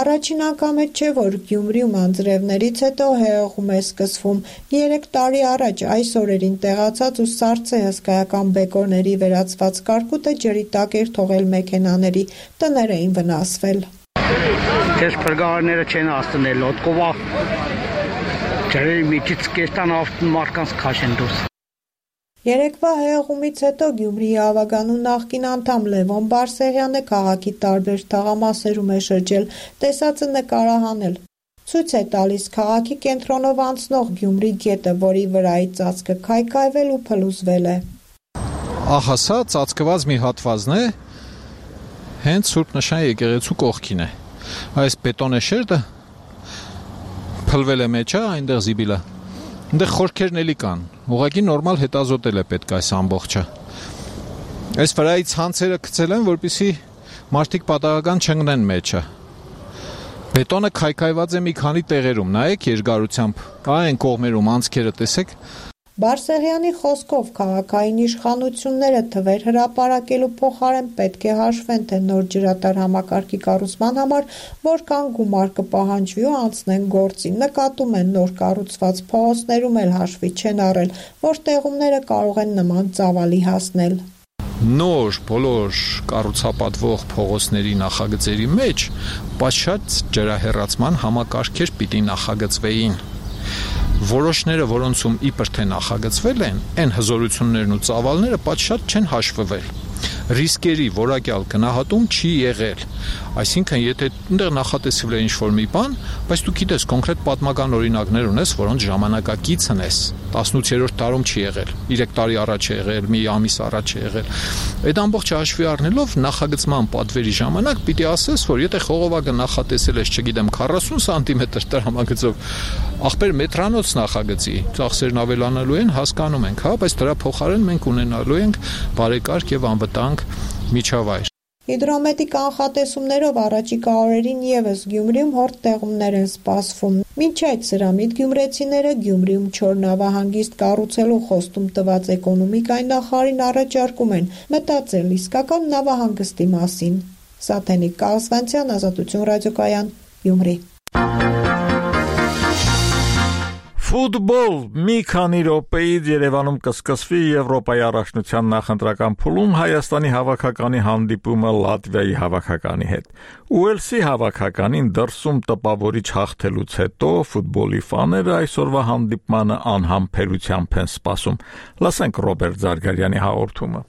Առաջին անգամ է չէ, որ Գյումրիում անձրևներից հետո հեղեղում է սկսվում։ 3 տարի առաջ այս օրերին տեղացած ու սառցե հսկայական բեկորների վերածված կարկուտը ջրի տակ էր թողել մեքենաների, տներ էին վնասվել։ Քեզ փրկարները չեն հասցնել օտկովա ջրերի միջից կեստան ավտոն մարկանց քաշեն դուրս։ Երեկվա հեղեղումից հետո Գյումրիի ավագանու նախկին անդամ Լևոն Բարսեղյանը քաղաքի տարբեր թաղամասերում է շրջել, տեսածը նկարահանել։ Ցույց է տալիս քաղաքի կենտրոնով անցնող Գյումրի գետը, որի վրայի ծածկը քայքայվել ու փլուզվել է։ Ահա սա ծածկված մի հատվածն է, հենց Սուրբ Նշան եկեղեցու կողքին է։ Այս բետոնե շերտը փլվել է մեջը, այնտեղ զիբիլը։ Այնտեղ խորքերն էլի կան։ Ուղղակի նորմալ հետազոտել է պետք այս ամբողջը։ Այս վրայի ցանցերը գցել են, որպեսզի մարդիկ պատահական չընկնեն մեջը։ Բետոնը քայքայված է մի քանի տեղերում, նայեք երկարությամբ, այն կողմերում անցքերը տեսեք։ Բարսեղյանի խոսքով քաղաքային իշխանությունները թվեր հրապարակելու փոխարեն պետք է հաշվեն, թե նոր ջրատար համակարգի կառուցման համար որքան գումար կպահանջվի ու անցնեն գործի։ Նկատում են նոր կառուցված փողոցներում էլ հաշվի չեն առել, որ տեղումները կարող են նման ծավալի հասնել։ Նոր բոլոր կառուցապատվող փողոցների նախագծերի մեջ պատշաճ ջրահեռացման համակարգեր պիտի նախագծվեին։ Որոշները, որոնցում իբր թե նախագծվել են, այն հզորություններն ու ծավալները պատշաճ չեն հաշվվել։ Ռիսկերի որակյալ գնահատում չի եղել։ Այսինքն, եթե այնտեղ նախատեսվել է ինչ-որ մի բան, բայց դու գիտես կոնկրետ պատմական օրինակներ ունես, որոնց ժամանակակիցն ես, 18-րդ դարում չի եղել, 3 տարի առաջ է եղել, մի ամիս առաջ է եղել։ Այդ ամբողջը հաշվի առնելով նախագծման պատվերի ժամանակ պիտի ասես, որ եթե խողովակը նախատեսել ես, չգիտեմ, 40 սանտիմետր տրամագծով, ախպեր մետրանոց նախագծի, ծախսերն ավելանալու են, հասկանում ենք, հա, բայց դրա փոխարեն մենք ունենալու ենք բարեկարգ եւ անվտանգ միջավայր։ Հիդրոմետի կանխատեսումներով առաջիկա օրերին ևս Գյումրիում հորդ տեղումներ են սպասվում։ Մինչ այդ սրամիտ գյումրեցիները Գյումրիում չոր նավահանգիստ կառուցելու խոստում տված էկոնոմիկայի նախարարին առաջարկում են մտածել իսկական նավահանգստի մասին։ Սաթենիկ Կալսվանցյան, Ազատություն ռադիոկայան, Գյումրի։ Ֆուտբոլ մի քանի րոպեից Երևանում կսկսվի Եվրոպայի առաջնության նախընտրական փուլում Հայաստանի հավաքականի հանդիպումը Լատվիայի հավաքականի հետ։ Ուելսի հավաքականին դրսում տպավորիչ հաղթելուց հետո ֆուտբոլի ֆաները այսօրվա հանդիպմանը անհամբերությամբ են սպասում։ Լսենք Ռոբերտ Զարգարյանի հաղորդումը։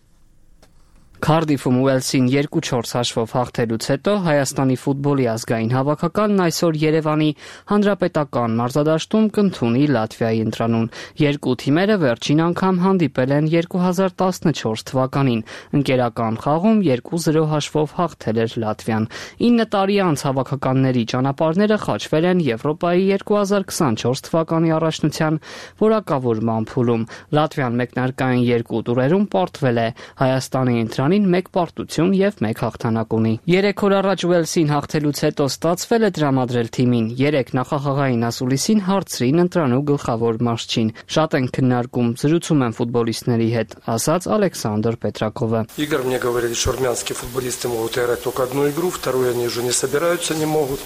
Քարդիֆում Ուելսին 2-4 հաշվով հաղթելուց հետո Հայաստանի ֆուտբոլի ազգային հավաքականն այսօր Երևանի հանրապետական մարզադաշտում կընդունի Լատվիայի ընտրանուն։ Երկու թիմերը վերջին անգամ հանդիպել են 2014 թվականին։ Ընկերական խաղում 2-0 հաշվով հաղթել էր Լատվիան։ 9 տարի անց հավաքականների ճանապարհները խաչվել են Եվրոպայի 2024 թվականի առաջնության որակավորման փուլում։ Լատվիան մեկնարկային 2 տուրերում պարտվել է։ Հայաստանի ընտրանին 1 պարտություն եւ 1 հաղթանակ ունի։ 3 օր առաջ Ուելսին հաղթելուց հետո ստացվել է տրամադրել թիմին 3 նախախաղային ասուլիսին հարցրին ընտրանու գլխավոր մարզչին։ Շատ են քննարկում, զրուցում են ֆուտբոլիստների հետ, ասաց Ալեքսանդր Պետրակովը։ Игорь мне говорили, что армянские футболисты могут играть только одну игру, вторую они уже не собираются, не могут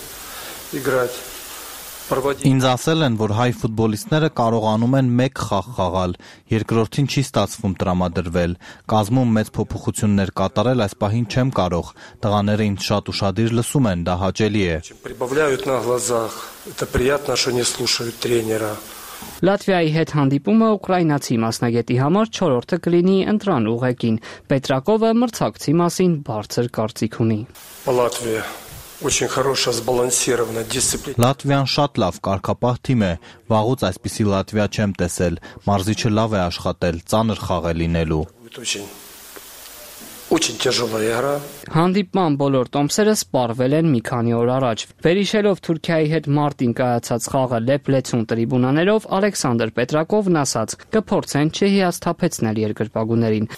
играть. Ինձ ասել են, որ հայ ֆուտբոլիստները կարողանում են 1 խաղ խաղալ, երկրորդին չի ստացվում տրամադրվել, կազմում մեծ փոփոխություններ կատարել այս պահին չեմ կարող, տղաները ինձ շատ ուշադիր լսում են, դա հաճելի է։ Прибавляют на глазах, это приятно, что не слушают тренера. Լատվիայի հետ հանդիպումը ուկրաինացի մասնագետի համար 4-րդը կլինի ընտրան ուղեկին։ Պետրակովը մրցակցի մասին բարձր կարծիք ունի։ Լատվիան շատ լավ կարգապահ թիմ է, վաղուց այսպիսի Լատվիա չեմ տեսել, մարզիչը լավ է աշխատել, ծանր խաղ է լինելու։ Հանդիպման բոլոր տոմսերը սպառվել են մի քանի օր առաջ։ Վերհիշելով Թուրքիայի հետ մարտին կայացած խաղը Լեփլեցուն տրիբունաներով, Ալեքսանդր Պետրակովն ասաց. «Կփորձեն չհիասթափեցնել երկրպագուներին»։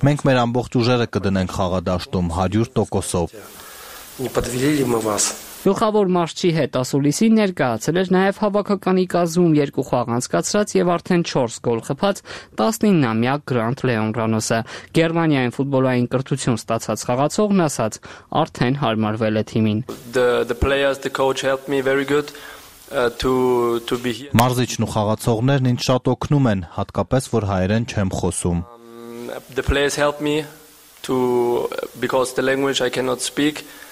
Մենք մեր ամբողջ ուժերը կդնենք խաղադաշտում 100%-ով։ Գլխավոր մարզչի հետ ասուլիսին ներկայացել էր նաև հավաքականի կազմում 2 խաղ անցկացրած եւ արդեն 4 գոլ խփած 19-ամյա Գրանտ Լեոն Ռանոսը։ Գերմանիայում ֆուտբոլային կրթություն ստացած խաղացողն ասաց. «Արդեն հարմարվել է թիմին»։ Մարզիչն ու խաղացողներն ինձ շատ օգնում են, հատկապես որ հայերեն չեմ խոսում։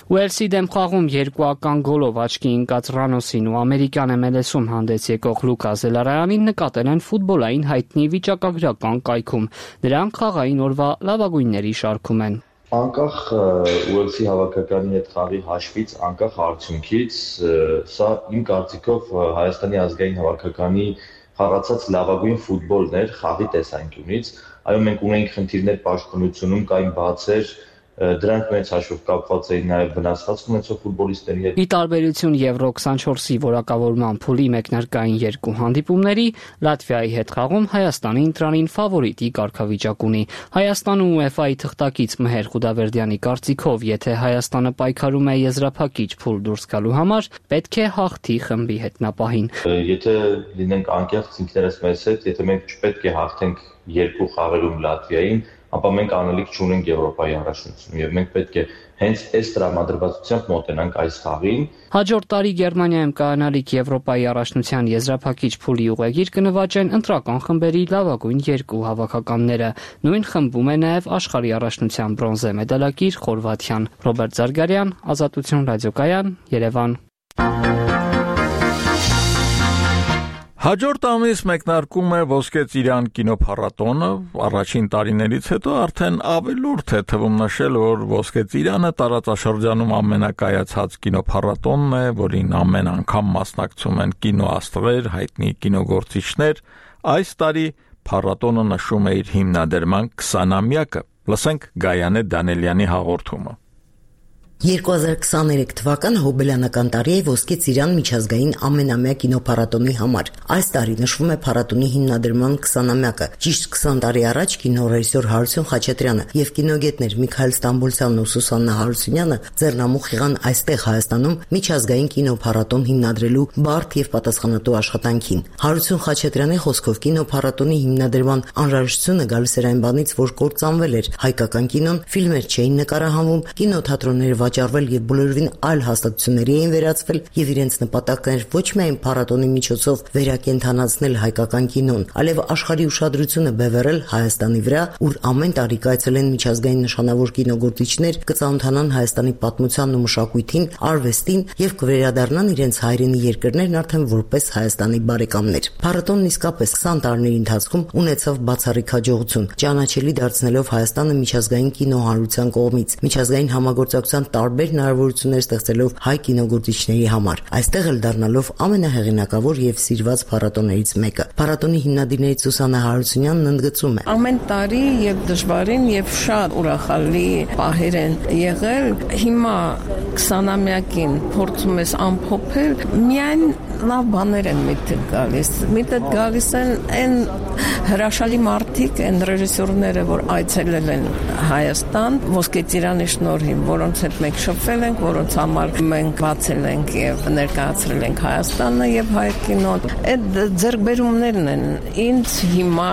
Ուելսի դեմ խաղում 2-ական գոլով աչքի ընկած Ռանոսին ու ամերիկյան MLS-ում հանդես եկող Լուկա Զելարայանին նկատել են ֆուտբոլային հայտնի վիճակագրական կայքում։ Նրանք խաղային օրվա լավագույնների շարքում են։ Անկախ Ուելսի հավաքականի հետ խաղի հաշվից, անկախ արդյունքից, սա իմ կարծիքով Հայաստանի ազգային հավաքականի խաղացած լավագույն ֆուտբոլն էր խաղի տեսանկյունից։ Այո, մենք ունենք խնդիրներ պաշտպանությունում, կային բացեր, դրանք մեծ հաշվով կապված էին նաև վնասվածք ունեցող ֆուտբոլիստների հետ։ Ի տարբերություն Եվրո 24-ի որակավորման փուլի մեկնարկային 2 հանդիպումների, Լատվիայի հետ խաղում Հայաստանի ընտրանին ֆավորիտի կարգավիճակ ունի։ Հայաստանը UEFA-ի թղթակից Մհեր Խուդավերդյանի կարծիքով, եթե Հայաստանը պայքարում է եզրափակիչ փուլ դուրս գալու համար, պետք է հաղթի խմբի հետնապահին։ Եթե լինենք անկեղծ ինքներս մեզ հետ, եթե մենք չպետք է հաղթենք 2 խաղերում Լատվիային, ապա մենք անելիք չունենք Եվրոպայի առաջնությունում եւ մենք պետք է հենց այս տրամադրվածությամբ մոտենանք այս խաղին։ Հաջորդ տարի Գերմանիայում կայանալիք Եվրոպայի առաջնության եզրափակիչ փուլի ուղեգիր կնվաճեն ընտրական խմբերի լավագույն 2 հավաքականները։ Նույն խմբում է նաև աշխարհի առաջնության բրոնզե մեդալակիր Խորվաթիան։ Ռոբերտ Զարգարյան, Ազատություն ռադիոկայան, Երևան։ Հաջորդ ամիս մեկնարկում է Ոսկե Ծիրան կինոփառատոնը, առաջին տարիներից հետո արդեն ավելորդ է թվում նշել, որ Ոսկե Ծիրանը տարածաշրջանում ամենակայացած կինոփառատոնն է, որին ամեն անգամ մասնակցում են կինոաստղեր, հայտնի կինոգործիչներ։ Այս տարի փառատոնը նշում է իր հիմնադրման 20-ամյակը։ Լսենք Գայանե Դանելյանի հաղորդումը։ 2023 թվականը հոբելյանական տարի է Ոսկե Ծիրան միջազգային ամենամյա կինոփառատոնի համար։ Այս տարի նշվում է փառատոնի հիմնադրման 20-ամյակը։ Ճիշտ 20 տարի առաջ կինոռեժիսոր Հարություն Խաչատրյանը եւ կինոգետներ Միքայել Ստամբոլցյանն ու Սուսաննա Հարությունյանը ձեռնամուխ եղան այստեղ Հայաստանում միջազգային կինոփառատոն հիմնադրելու բարդ եւ պատասխանատու աշխատանքին։ Հարություն Խաչատրյանի խոսքով կինոփառատոնի հիմնադրման անհրաժեշտությունը գալիս էր այն բանից, որ կործանվել էր հայկական կինոն, ֆիլմեր չէին նկարահանվում, կինոթատրոնները վաճառվել եւ բոլորովին այլ հաստատությունների էին վերածվել եւ իրենց նպատակն էր ոչ միայն փառատոնի միջոցով վերակենդանացնել հայկական կինոն, այլև աշխարհի ուշադրությունը բևեռել Հայաստանի վրա, ուր ամեն տարի կայցելեն միջազգային նշանավոր կինոգործիչներ, կծանոթանան Հայաստանի պատմությանն ու մշակույթին, արվեստին եւ կվերադառնան իրենց հայրենի երկրներն արդեն որպես Հայաստանի բարեկամներ։ Փառատոնն իսկապես 20 տարիների ընթացքում ունեցավ բացառիկ հաջողություն, ճանաչելի դարձնելով Հայաստանը միջազգային կինոհանրության կողմից, միջազգային համագործակցության տարբեր հնարավորություններ ստեղծելով հայ կինոգործիչների համար, այստեղ էլ դառնալով ամենահեղինակավոր եւ սիրված փառատոներից մեկը։ Փառատոնի հիմնադիրներից Սուսաննա Հարությունյանն ընդգծում է. Ամեն տարի եւ դժվարին եւ շատ ուրախալի պահեր են եղել։ Հիմա 20-ամյակին փորձում ես ամփոփել, միայն լավ բաներ են միտք գալիս։ Միտք գալիս են այն հրաշալի մարդիկ, այն ռեժիսորները, որ այցելել են Հայաստան, Ոսկե Ծիրանի շնորհիվ, որոնց հետ մենք շփվել ենք, որոնց համար մենք բացել ենք եւ ներկայացրել ենք Հայաստանը եւ հայ կինոն։ Այդ ձեռքբերումներն են ինձ հիմա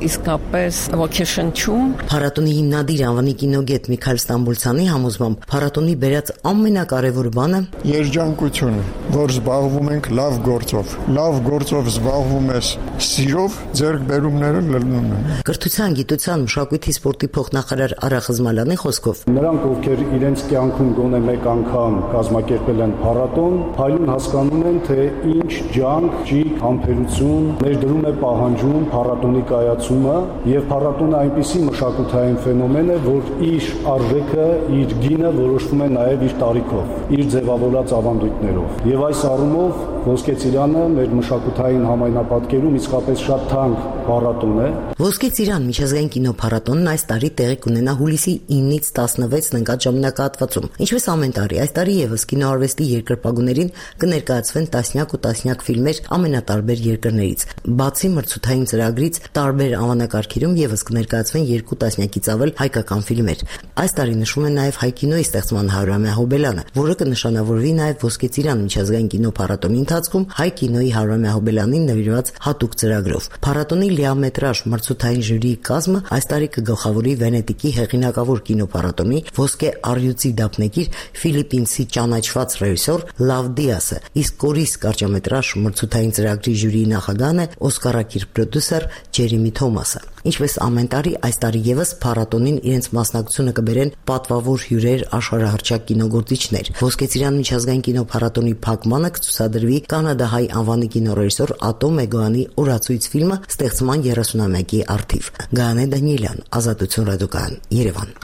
իսկապես ոգեշնչում։ Փառատոնի հիմնադիր անվանի կինոգետ Միքայել Ստամբոլցյանի համոզմամբ փառատոնի բերած ամենակարևոր բանը երջանկությունը, որ զբաղվում ենք լավ գործով։ Լավ գործով զբաղվում ես սիրով, ձեռքբերումները լնում են։ Կրթության, գիտության, մշակույթի, սպորտի փոխնախարար Արա Խզմալյանի խոսքով նրանք, ովքեր իրենց կյանքում ընթացքում գոնե մեկ անգամ կազմակերպել են փառատոն, փայլուն հասկանում են, թե ինչ ջանք, ճիգ, համբերություն ներդրում է պահանջում փառատոնի կայացումը, եւ փառատոնը այնպիսի մշակութային ֆենոմեն է, որ իր արժեքը, իր գինը որոշվում է նաեւ իր տարիքով, իր ձևավորած ավանդույթներով։ Եվ այս առումով Ոսկե Ծիրանը մեր մշակութային համայնապատկերում իսկապես շատ թանկ փառատոն է։ Ոսկե Ծիրան միջազգային կինոփառատոնն այս տարի տեղի կունենա հուլիսի 9-ից 16-ն ընկած ժամանակահատվածում։ Ինչպես ամեն տարի, այս տարի եւս կինոարվեստի երկրպագուներին կներկայացվեն տասնյակ ու տասնյակ ֆիլմեր ամենատարբեր երկրներից։ Բացի մրցութային ծրագրից, տարբեր անվանակարգերում եւս կներկայացվեն 2 տասնյակից ավել հայկական ֆիլմեր։ Այս տարի նշվում է նաեւ հայ կինոյի ստեղծման 100-ամյա հոբելանը, որը կնշանավորվի նաեւ Ոսկե Ծիրան միջազգային կինոփառատոնի ընթացքում հայ կինոյի 100-ամյա հոբելանին նվիրված հատուկ ծրագրով։ Փառատոնի լիամետրաժ մրցութային ժյուրիի կազմը այս տարի կգլխավորի Վենետիկի հեղինակավոր կինոփառատոնի ոսկե առյուծի դափնեկիր ֆիլիպինցի ճանաչված ռեժիսոր Լավ Դիասը, իսկ Կորիս կարճամետրաժ մրցութային ծրագրի ժյուրիի նախագահն է օսկարակիր պրոդյուսեր Ջերեմի Թոմասը։ Ինչպես ամեն տարի, այս տարի եւս փառատոնին իրենց մասնակցությունը կբերեն պատվավոր հյուրեր, աշխարհահռչակ կինոգործիչներ։ Ոսկե Ծիրան միջազգային կինոփառատոնի փակմանը կցուցադրվի կանադահայ անվանի կինոռեժիսոր Ատո Մեգոյանի «Օրացույց» ֆիլմը ստեղծման 30-ամյակի առթիվ։ Գայանե Դանիելյան, Ազատություն ռադիոկայան, Երևան։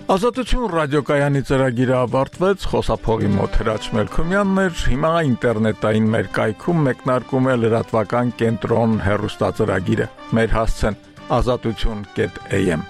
Ազատություն ռադիոկայանի ծրագիրը ավարտվեց, խոսափողի մոտ Հրաչ Մելքումյանն էր, հիմա ինտերնետային մեր կայքում մեկնարկում է լրատվական կենտրոն հեռուստածրագիրը։ Մեր հասցեն azatutun.am